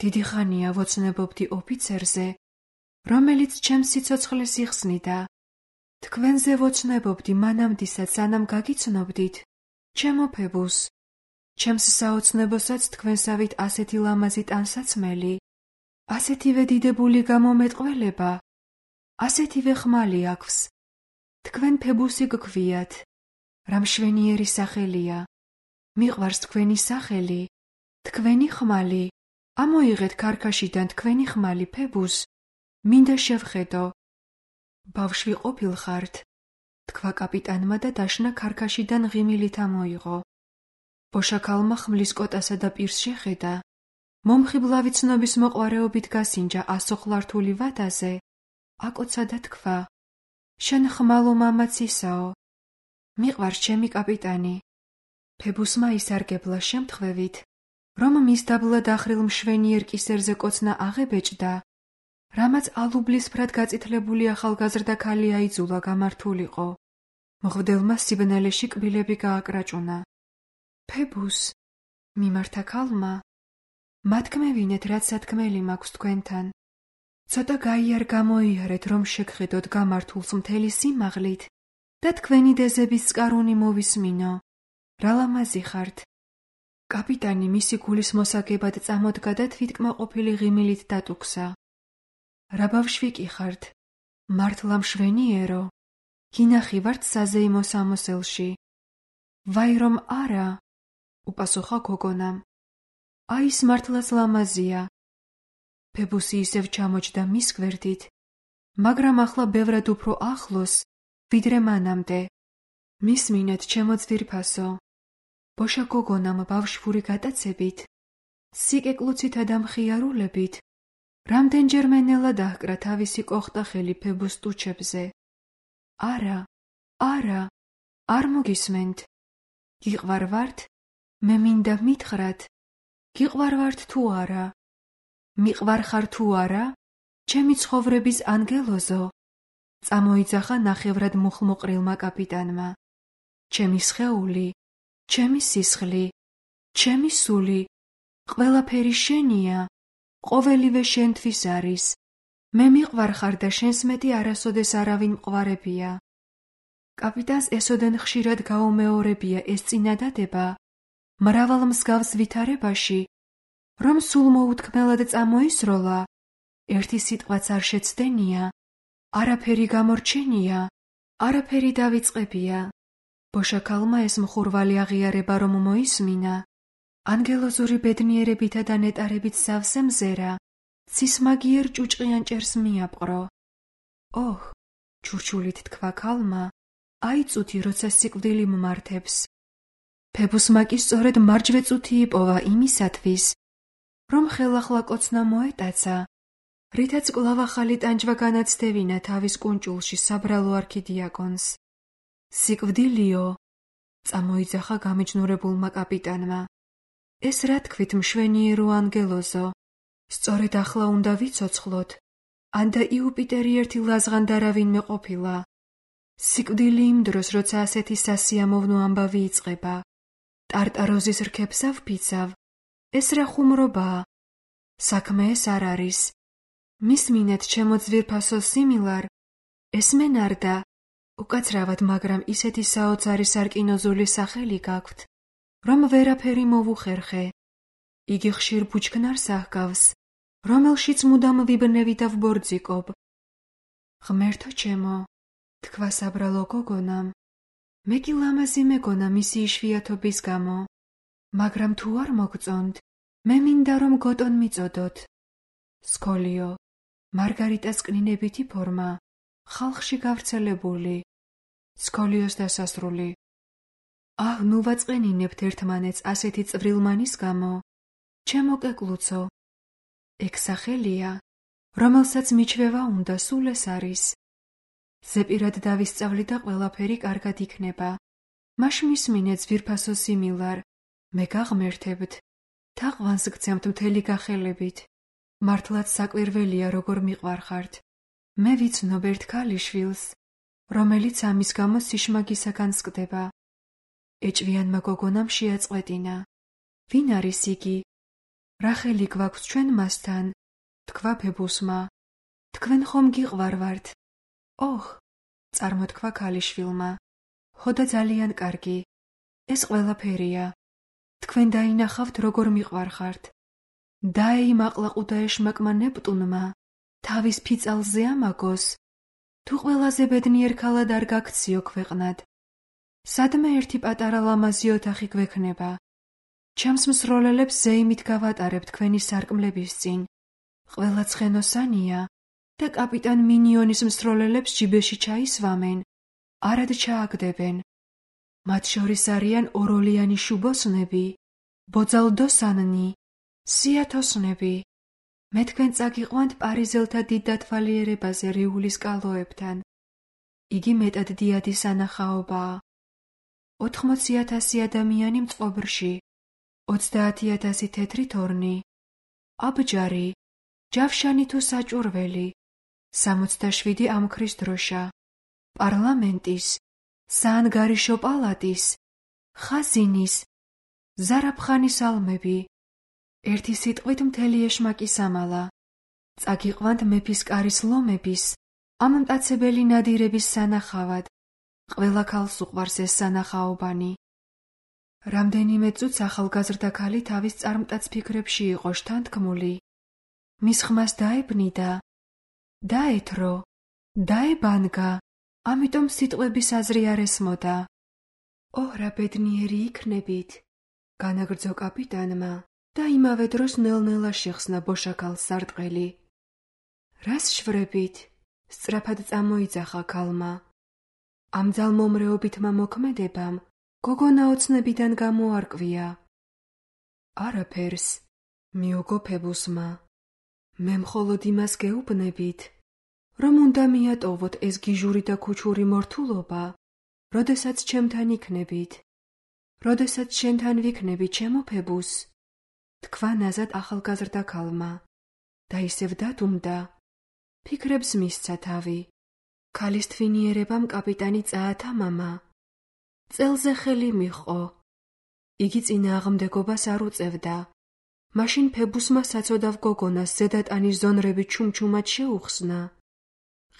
დიდი ხანია ვოცნებობდი ოფიცერზე, რომელიც ჩემს სიცოცხლეს იხსნიდა. თქვენზე ვოცნებობდი მანამდისაც, სანამ გაგიცნობდით, ჩემო ფებუს. ჩემს საოცნებოსაც თქვენსავით ასეთი ლამაზი ტანსაცმელი, ასეთივე დიდებული გამომეტყველება, ასეთივე ხმალი აქვს. თქვენ ფებუსი გქვიათ. რა მშვენიერი სახელია. მიყვარს თქვენი სახელი, თქვენი ხმალი. ამოიღეთ ქარქაშიდან თქვენი ხმალი, ფებუს. მინდა შევხედო. ბავშვი ყოფილხართ, თქვა კაპიტანმა და დაშნა ქარქაშიდან ღიმილით ამოიღო. ბოშა ქალმა ხმლის კოტასა და პირს შეხედა. მომხიბლავი ცნობის მოყვარეობით გასინჯა ასოხლართული ვადაზე, აკოცა და თქვა: შენ ხმალო მამაც ისაო. მიყვარს ჩემი კაპიტანი. ფებუსმა ისარგებლა შემთხვევით, რომ მის დაბლა დახრილ მშვენიერ კისერზე კოცნა აღებეჭდა, რამაც ალუბლისფრად გაწითლებული ახალგაზრდა ქალი აიძულა გამართულიყო. მღვდელმა სიბნელეში კბილები გააკრაჭუნა. ფებუს, მიმართა ქალმა, მათქმევინეთ, რაც სათქმელი მაქვს თქვენთან. ცოტა გაიარ გამოიარეთ, რომ შეგხედოთ გამართულს მთელი სიმაღლით და თქვენი დეზების სკარუნი მოვისმინო. რა ლამაზი ხართ. კაპიტანი მისი გულის მოსაგებად წამოდგა და თვითკმაყოფილი ღიმილით დატუქსა. რა ბავშვი კი ხართ, მართლა მშვენიერო, გინახი ვართ საზეიმო სამოსელში. ვაი რომ არა, უპასუხა გოგონამ. აი ის მართლაც ლამაზია. ფებუსი ისევ ჩამოჯდა მის გვერდით, მაგრამ ახლა ბევრად უფრო ახლოს, ვიდრე მანამდე. მისმინეთ, ჩემო ძვირფასო. ბოშა გოგონამ ბავშვური გატაცებით, სიკეკლუცითა და მხიარულებით, რამდენჯერმე ნელა დაჰკრა თავისი კოხტახელი ფებუს ტუჩებზე. არა, არა, არ მოგისმენთ. გიყვარვართ? მე მინდა მითხრათ, გიყვარვართ თუ არა? მიყვარხარ თუ არა? ჩემი ცხოვრების ანგელოზო, წამოიძახა ნახევრად მუხლმოყრილმა კაპიტანმა. ჩემი სხეული, ჩემი სისხლი, ჩემი სული, ყველაფერი შენია, ყოველივე შენთვის არის. მე მიყვარხარ და შენს მეტი არასოდეს არავინ მყварებია. კაპიტანს ესოდენ ხშირად გაუმეორებია ეს წინადადება, მრავალ მსგავს ვითარებაში, რომ სულ მოუთქმელად წამოისროლა, ერთი სიტყვაც არ შეცდენია, არაფერი გამორჩენია, არაფერი დავიწყებია. ბოშა ქალმა ეს მხურვალი აღიარება რომ მოისმინა, ანგელოზური ბედნიერებითა და ნეტარებით სავსე მზერა, ცისმაგიერ ჭუჭყიან ჭერს მიაპყრო. ოჰ, ჩურჩულით თქვა ქალმა, აიწუთი, როცა სიკვდილი მმართებს. ფებუსმა კი სწორედ მარჯვე წუთი იპოვა იმისათვის, რომ ხელახლა კოცნა მოეტაცა, რითაც კვლავ ახალი ტანჯვა განაცდევინა თავის კუნჭულში საბრალო არქიდიაკონს. სიკვდილიო, წამოიძახა გამიჯნურებულმა კაპიტანმა. ეს რა თქვით, მშვენიერო ანგელოზო, სწორედ ახლა უნდა ვიცოცხლოთ, ანდა იუპიტერი ერთი ლაზღან დარავინმე ყოფილა. სიკვდილი იმ დროს, როცა ასეთი სასიამოვნო ამბავი იწყება, ტარტაროზის რქებს ავფიცავ, ეს რა ხუმრობაა? საქმე ეს არ არის. მისმინეთ, ჩემო ძვირფასო სიმილარ, ესმენარდა, უკაცრავად, მაგრამ ისეთი საოცარი სარკინოზული სახელი გაქვთ, რომ ვერაფერი მოვუხერხე. იგი ხშირ ბუჩქნარს აჰგავს, რომელშიც მუდამ ვიბნევი და ვბორძიკობ. ღმერთო ჩემო, თქვა საბრალო გოგონამ, მე კი ლამაზი მეგონა მისი იშვიათობის გამო, მაგრამ თუ არ მოგწონთ, მე მინდა რომ გოტონ მიწოდოთ. სკოლიო, მარგარიტას კნინებითი ფორმა, ხალხში გავრცელებული. სკოლიოს დასასრული. აჰ, ნუ ვაწყენინებთ ერთმანეთს ასეთი წვრილმანის გამო. ჩემო კეკლუცო, ეგ სახელია, რომელსაც მიჩვევა უნდა, სულ ეს არის. ზეპირად დავისწავლი და ყველაფერი კარგად იქნება. მაშ მისმინე, ძვირფასო სიმილარ, მე გაღმერთებთ, თაყვანს გცემთ მთელი გახელებით. მართლაც საკვირველია, როგორ მიყვარხართ. მე ვიცნობ ერთ ქალიშვილს, რომელიც ამის გამო სიშმაგისაგან სკდება. ეჭვიანმა გოგონამ შეაწყვეტინა. ვინ არის იგი? რახელი გვაქვს ჩვენ მასთან? თქვა ფებუსმა. თქვენ ხომ გიყვარვართ? ოჰ, წარმოთქვა ქალიშვილმა. ხოდა ძალიან კარგი. ეს ყველაფერია. თქვენ დაინახავთ, როგორ მიყვარხართ. დაეიმაყლაყუდა ეშმაკმა ნეპტუნმა, თავის ფიცალზე ამაგოს, თუ ყველაზე ბედნიერ ქალად არ გაქციო ქვეყნად. სადმე ერთი პატარა ლამაზი ოთახი გვექნება. ჩემს მსროლელებს ზეიმით გავატარებ თქვენი სარკმლების წინ. ყველა ცხენოსანია და კაპიტან მინიონის მსროლელებს ჯიბეში ჩაისვამენ, არად ჩააგდებენ. მათ შორის არიან ოროლიანი შუბოსნები, ბოძალდოსანნი, სიათოსნები. მე თქვენ წაგიყვანთ პარიზელთა დიდ დათვალიერებაზე რიულის კალოებთან. იგი მეტად დიადი სანახაობაა. 80,000 ადამიანი მწყობრში, 30,000 თეთრი თორნი, აბჯარი, ჯავშანი თუ საჭურველი, 67 ამქრის დროშა, პარლამენტის, საანგარიშო პალატის, ხაზინის, ზარაფხანის ალმები. ერთი სიტყვით მთელი ეშმაკი სამალა. წაგიყვანთ მეფის კარის ლომების, ამ მტაცებელი ნადირების სანახავად. ყველა ქალს უყვარს ეს სანახაობანი. რამდენიმე წუთს ახალგაზრდა ქალი თავის წარმტაც ფიქრებში იყო შთანთქმული. მის ხმას დაებნიდა, დაეთრო, დაებანგა, ამიტომ სიტყვების აზრი არ ესმოდა. ოհ, რა ბედნიერი იქნებით, განაგრძო კაპიტანმა და იმავე დროს ნელ-ნელა შეხსნა ბოშაქალს სარტყელი. რას შვრებით? სწრაფად წამოიძახა ქალმა. ამ ძალმომრეობითმა მოქმედებამ გოგონა ოცნებიდან გამოარკვია. არაფერს, მიუგო ფებუსმა. მე მხოლოდ იმას გეუბნებით, რომ უნდა მიატოვოთ ეს გიჟური და ქუჩური მორთულობა, როდესაც ჩემთან იქნებით. როდესაც შენთან ვიქნები, ჩემო ფებუს, თქვა ნაზად ახალგაზრდა ქალმა და ისევ დადუმდა. ფიქრებს მისცა თავი. ქალის თვინიერებამ კაპიტანი წაათა მამა. წელზე ხელი მიჰყო. იგი წინააღმდეგობას არ უწევდა. მაშინ ფებუსმა საცოდავ გოგონას ზედატანის ზონრები ჩუმჩუმად შეუხსნა.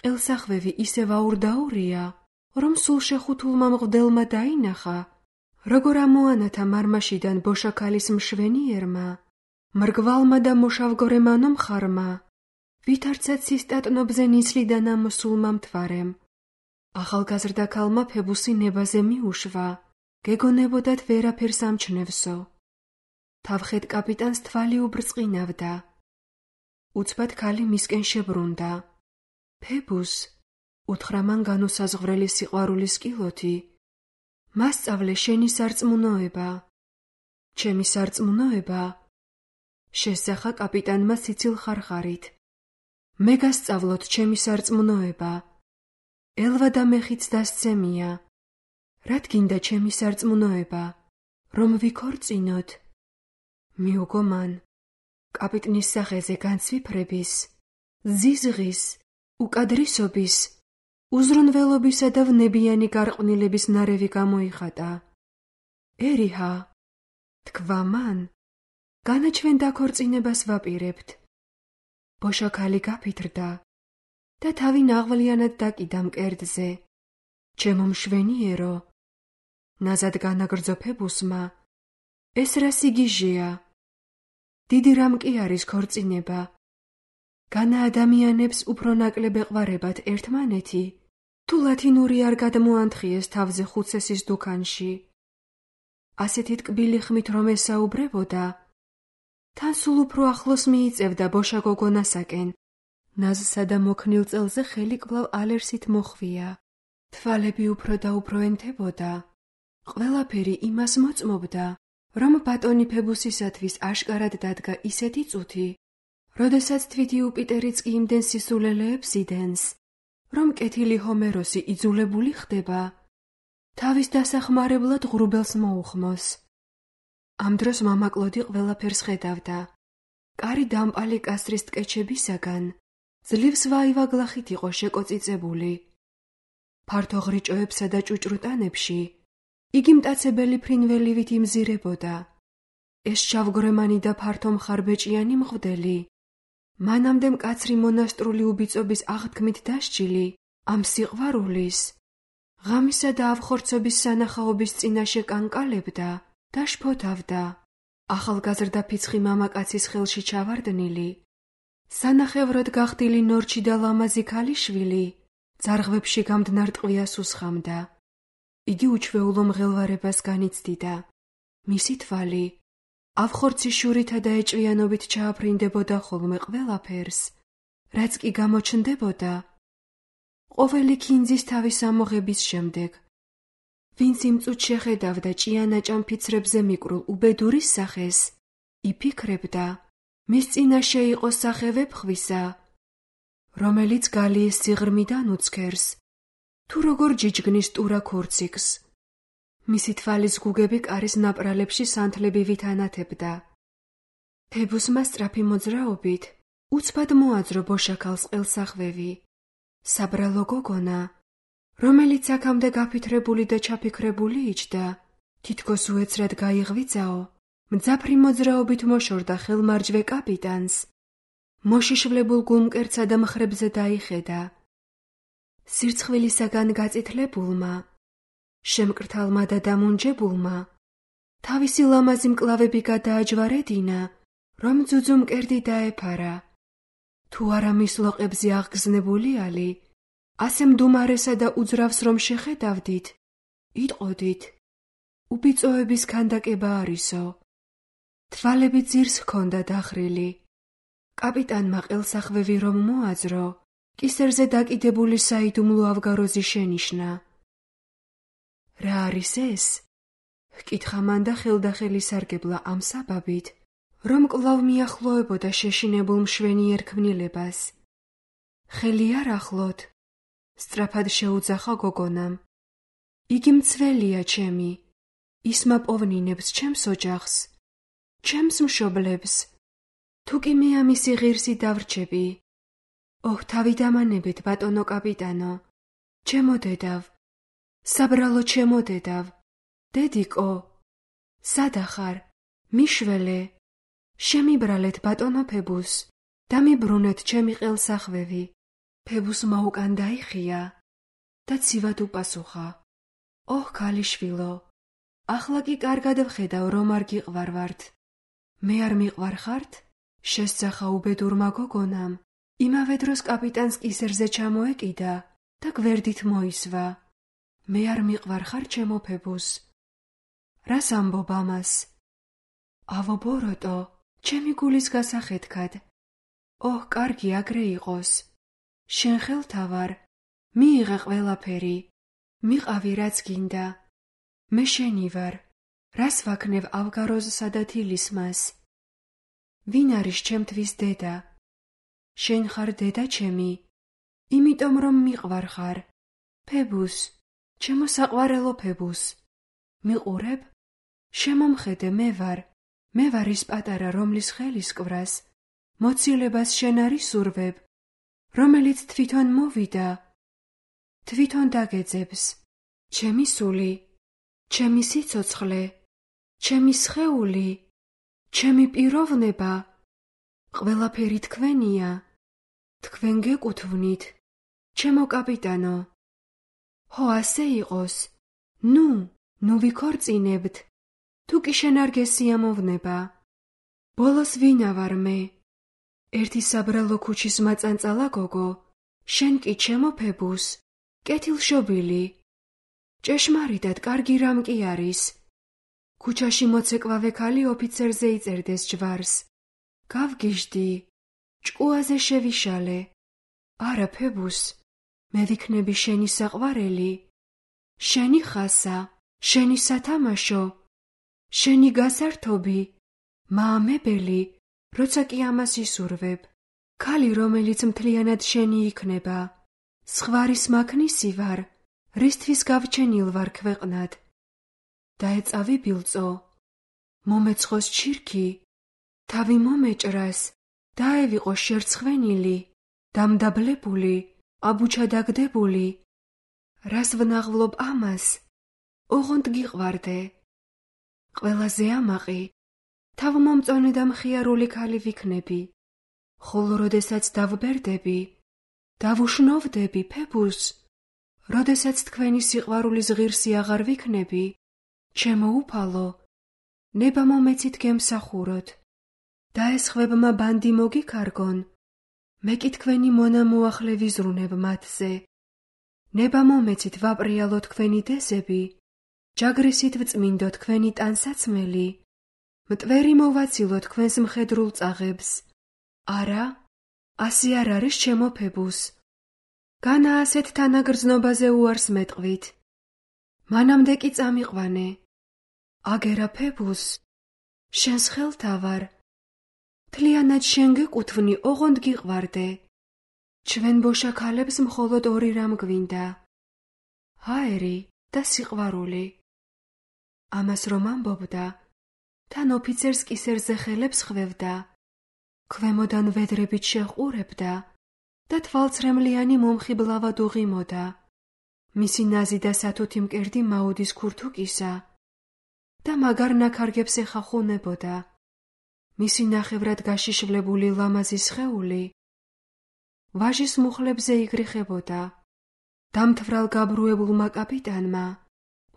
ყელსახვევი ისევ აურდაურია, რომ სულ შეხუთულმა მღვდელმა დაინახა, როგორ ამოანათა მარმაშიდან ბოშაქალის მშვენიერმა, მრგვალმა და მოშავგორემანო მხარმა, ვითარცა ცისტატნობზე ნისლიდან ამოსულმა მთვარემ. ახალგაზრდა ქალმა ფებუსი ნებაზე მიუშვა, გეგონებოდათ ვერაფერს ამჩნევსო. თავხეთ კაპიტანს თვალი უბრწყინავდა. უცბად ქალი მისკენ შებრუნდა. ფებუს, უთხრა მან განუსაზღვრელი სიყვარულის კილოთი. მასწავლე შენი სარწმუნოება. ჩემი სარწმუნოება? შესახა კაპიტანმა სიცილ ხარხარით. მე გასწავლოთ ჩემი სარწმუნოება. ელვა და მეხიც დასცემია. რად გინდა ჩემი სარწმუნოება? რომ ვიქორწინოთ? მიუგო მან. კაპიტნის სახეზე განცვიფრების, ზიზღის, უკადრისობის, უზრუნველობისა და ვნებიანი გარყვნილების ნარევი გამოიხატა. ერიჰა, თქვა მან, განა ჩვენ დაქორწინებას ვაპირებთ. ბოშა ქალი გაფითრდა და თავი ნაღვლიანად დაკიდა მკერდზე. ჩემო მშვენიერო, ნაზად განაგრძო ფებუსმა, ეს რა სიგიჟეა? დიდი რამ კი არის ქორწინება? განა ადამიანებს უფრო ნაკლებ ეყვარებათ ერთმანეთი, თუ ლათინური არ გადმოანთხიეს თავზე ხუცესის დუქანში. ასეთი ტკბილი ხმით რომ ესაუბრებოდა, თან სულ უფრო ახლოს მიიწევდა ბოშა გოგონასაკენ. ნაზსა და მოქნილ წელზე ხელი კვლავ ალერსით მოხვია. თვალები უფრო და უფრო ენთებოდა. ყველაფერი იმას მოწმობდა, რომ ბატონი ფებუსისათვის აშკარად დადგა ისეთი წუთი, როდესაც თვითი იუპიტერიც კი იმდენ სისულელეებს იდენს, რომ კეთილი ჰომეროსი იძულებული ხდება თავის დასახმარებლად ღრუბელს მოუხმოს. ამ დროს მამა კლოდი ყველაფერს ხედავდა. კარი დამპალი კასრის ტკეჩებისაგან ძლივს ვაივაგლახით იყო შეკოწიწებული. ფართო ღრიჭოებსა და ჭუჭრუტანებში იგი მტაცებელი ფრინველივით იმზირებოდა. ეს შავგრემანი და ფართო მხარბეჭიანი მღვდელი, მანამდე მკაცრი მონასტრული უბიწობის აღთქმით დასჯილი ამ სიყვარულის, ღამისა და ავხორცობის სანახაობის წინაშე კანკალებდა და შფოთავდა. ახალგაზრდა ფიცხი მამაკაცის ხელში ჩავარდნილი, სანახევროდ გახდილი ნორჩი და ლამაზი ქალიშვილი ძარღვებში გამდნარ ტყვიას უსხამდა. იგი უჩვეულო მღელვარებას განიცდიდა. მისი თვალი ავხორცის შურითა და ეჭვიანობით ჩააფრინდებოდა ხოლმე ყველაფერს, რაც კი გამოჩნდებოდა ყოველი ქინძის თავის ამოღების შემდეგ. ვინც იმ წუთ შეხედავდა ჭიანაჭამ ფიცრებზე მიკრულ უბედურის სახეს, იფიქრებდა, მის წინაშე იყო სახე ვეფხვისა, რომელიც გალიეს სიღრმიდან უცქერს, თუ როგორ ჯიჯგნის ტურა ქურციკს. მისი თვალის გუგები კარის ნაპრალებში სანთლებივით ანათებდა. ფებუსმა სწრაფი მოძრაობით უცბად მოაძრო ბოშაქალს ყელსახვევი. საბრალო გოგონა, რომელიც აქამდე გაფითრებული და ჩაფიქრებული იჯდა, თითქოს უეცრად გაიღვიძაო, მძაფრი მოძრაობით მოშორდა ხელმარჯვე კაპიტანს. მოშიშვლებულ გულმკერდსა და მხრებზე დაიხედა. სირცხვილისაგან გაწითლებულმა, შემკრთალმა და დამუნჯებულმა, თავისი ლამაზი მკლავები გადააჯვარედინა, რომ ძუძუ მკერდი დაეფარა. თუ არა მის ლოყებზე აღგზნებული ალი, ასე მდუმარესა და უძრავს რომ შეხედავდით, იტყოდით, უბიწოების ქანდაკება არისო. თვალები ძირს ჰქონდა დახრილი. კაპიტანმა ყელსახვევი რომ მოაძრო, კისერზე დაკიდებული საიდუმლო ავგაროზი შენიშნა. რა არის ეს? ჰკითხა მან და ხელდახელი სარგებლა ამ საბაბით, რომ კვლავ მიახლოებოდა შეშინებულ მშვენიერ ქმნილებას. ხელი არ ახლოთ, სწრაფად შეუძახა გოგონამ. იგი მცველია ჩემი, ისმა პოვნინებს ჩემს ოჯახს, ჩემს მშობლებს. თუ კი მე ამისი ღირსი დავრჩები. ოჰ, თავი დამანებეთ, ბატონო კაპიტანო, ჩემო დედავ, საბრალო ჩემო დედავ, დედიკო, სადახარ, მიშველე, შემიბრალეთ ბატონო ფებუს და მიბრუნეთ ჩემი ყელსახვევი. ფებუსმა უკან დაიხია და ცივად უპასუხა. ოჰ, ქალიშვილო, ახლა კი კარგად ვხედავ, რომ არ გიყვარვართ. მე არ მიყვარხართ? შესძახა უბედურმა გოგონამ. იმავე დროს კაპიტანს კისერზე ჩამოეკიდა და გვერდით მოისვა. მე არ მიყვარხარ ჩემო ფებუს. რას ამბობ ამას? ავო ბოროტო, ჩემი გულის გასახეთქად. ოჰ, კარგი აგრე იყოს. შენ ხელთა ვარ, მიიღე ყველაფერი, მიყავი რაც გინდა. მე შენი ვარ, რას ვაქნევ ავგაროზსა და თილისმას? ვინ არის ჩემთვის დედა? შენ ხარ დედა ჩემი, იმიტომ რომ მიყვარ ხარ. ფებუს, ჩემო საყვარელო ფებუს. მიყურებ? შემომხედე, მე ვარ ის პატარა, რომლის ხელის კვრას, მოცილებას შენ არ ისურვებ, რომელიც თვითონ მოვიდა. თვითონ დაგეძებს. ჩემი სული, ჩემი სიცოცხლე, ჩემი სხეული, ჩემი პიროვნება, ყველაფერი თქვენია. თქვენ გეკუთვნით, ჩემო კაპიტანო. ჰო, ასე იყოს. ნუ ვიქორწინებთ. თუ კი შენ არ გესიამოვნება. ბოლოს ვინა ვარ მე? ერთი საბრალო ქუჩის მაწანწალა გოგო, შენ კი ჩემო ფებუს, კეთილშობილი. ჭეშმარიტად კარგი რამ კი არის. ქუჩაში მოცეკვავე ქალი ოფიცერზე იწერდეს ჯვარს. გავგიჟდი, ჭკუაზე შევიშალე. არა ფებუს, მე ვიქნები შენი საყვარელი, შენი ხასა, შენი სათამაშო, შენი გასართობი, მაამებელი, როცა კი ამას ისურვებ. ქალი, რომელიც მთლიანად შენი იქნება. სხვარის მაქნისი ვარ, რისთვის გავჩენილ ვარ ქვეყნად. დაეწავი ბილწო, მომეცხოს ჩირქი, თავი მომეჭრას, დაევიყო შერცხვენილი, დამდაბლებული, აბუჩადაგდებული. რას ვნაღვლობ ამას? ოღონდ გიყვარდე. ყველაზე ამაყი, თავმომწონე და მხიარული ქალი ვიქნები. ხოლო როდესაც დავბერდები, დავუშნოვდები ფებუს, როდესაც თქვენი სიყვარულის ღირსი აღარ ვიქნები, ჩემო უფალო, ნება მომეცით გემსახუროთ. დაესხვებმა ბანდი მოგიქარგონ, მე კი თქვენი მონა მოახლე ვიზრუნებ მათზე. ნება მომეცით ვაპრიალო თქვენი დეზები, ჯაგრისით ვწმინდო თქვენი ტანსაცმელი, მტვერი მოვაცილო თქვენს მხედრულ წაღებს. არა, ასე არ არის ჩემო ფებუს. განა ასეთ თანაგრძნობაზე უარს მეტყვით. მანამდე კი წამიყვანე. აგერა ფებუს, შენს ხელთა ვარ. მთლიანად შენ გეკუთვნი, ოღონდ გიყვარდე. ჩვენ ბოშა ქალებს მხოლოდ ორი რამ გვინდა. ჰაერი და სიყვარული. ამას რომ ამბობდა, თან ოფიცერს კისერზე ხელებს ხვევდა, ქვემოდან ვედრებით შეჰყურებდა და თვალცრემლიანი მომხიბლავად უღიმოდა. მისი ნაზი და სათუთი მკერდი მაუდის ქურთუკისა და მაგარ ნაქარგებს ეხახუნებოდა. მისი ნახევრად გაშიშვლებული ლამაზი სხეული ვაჟის მუხლებზე იგრიხებოდა. დამთვრალ გაბრუებულმა კაპიტანმა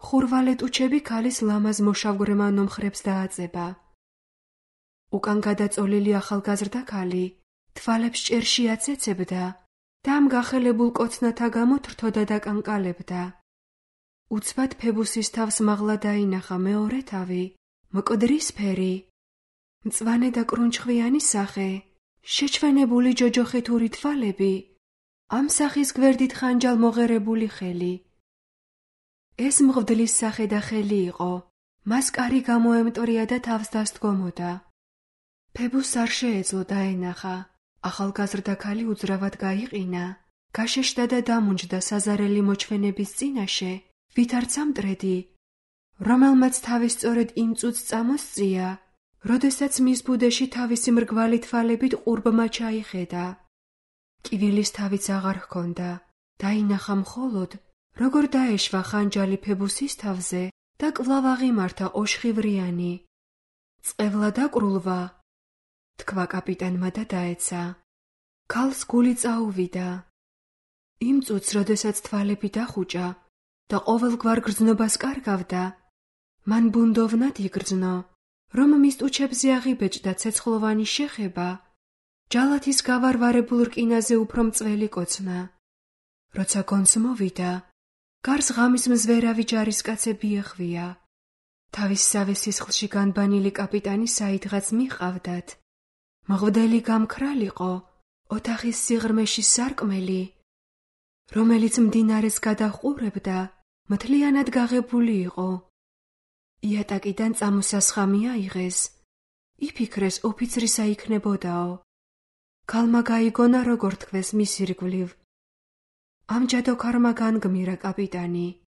ხურვალეტუჩები ქალის ლამაზ მოშავგრემა ნომხრებს დააწება. უკან გადაწოლილი ახალგაზრდა ქალი თვალებს ჭერში აცეცებდა და ამ გახელებულ კოცნათა გამო თრთოდა და კანკალებდა. უცბად ფებუსის თავს მაღლა დაინახა მეორე თავი, მკვდრისფერი, მწვანე და კრუნჩხვიანი სახე, შეჩვენებული ჯოჯოხეთური თვალები, ამ სახის გვერდით ხანჯალ მოღერებული ხელი. ეს მღვდლის სახე და ხელი იყო, მას კარი გამოემტორია და თავს დასდგომოდა. ფებუს არ შეეძლო დაენახა. ახალგაზრდა ქალი უძრავად გაიყინა, გაშეშდა და დამუნჯდა საზარელი მოჩვენების წინაშე, ვით არც ამტრედი, რომელმაც თავის სწორედ იმ წუთს წამოსწია, როდესაც მის ბუდეში თავისი მრგვალი თვალებით ყურბმა ჩაიხედა. კივილის თავიც აღარ ჰქონდა, დაინახა მხოლოდ, როგორ დაეშვა ხანჯალი ფებუსის თავზე და კვლავ აღიმართა ოშხივრიანი. წყევლა დაკრულვა, თქვა კაპიტანმა და დაეცა. ქალს გული წაუვიდა. იმ წუთს, როდესაც თვალები დახუჭა და ყოველგვარ გრძნობას კარგავდა, მან ბუნდოვნად იგრძნო, რომ მის ტუჩებზე აღიბეჭდა ცეცხლოვანი შეხება, ჯალათის გავარვარებულ რკინაზე უფრო მწველი კოცნა. როცა გონს მოვიდა, გარს ღამის მზვერავი ჯარისკაცები ეხვია. თავის სავე სისხლში განბანილი კაპიტანი საიდღაც მიჰყავდათ. მღვდელი გამქრალიყო ოთახის სიღრმეში სარკმელი, რომელიც მდინარეს გადაჰყურებდა, მთლიანად გაღებული იყო. იატაკიდან წამოსასხამი აიღეს. იფიქრეს ოფიცრისა იქნებოდაო. ქალმა გაიგონა, როგორ თქვეს მის ირგვლივ. ამჯად ოქარმა განგმირა კაპიტანი.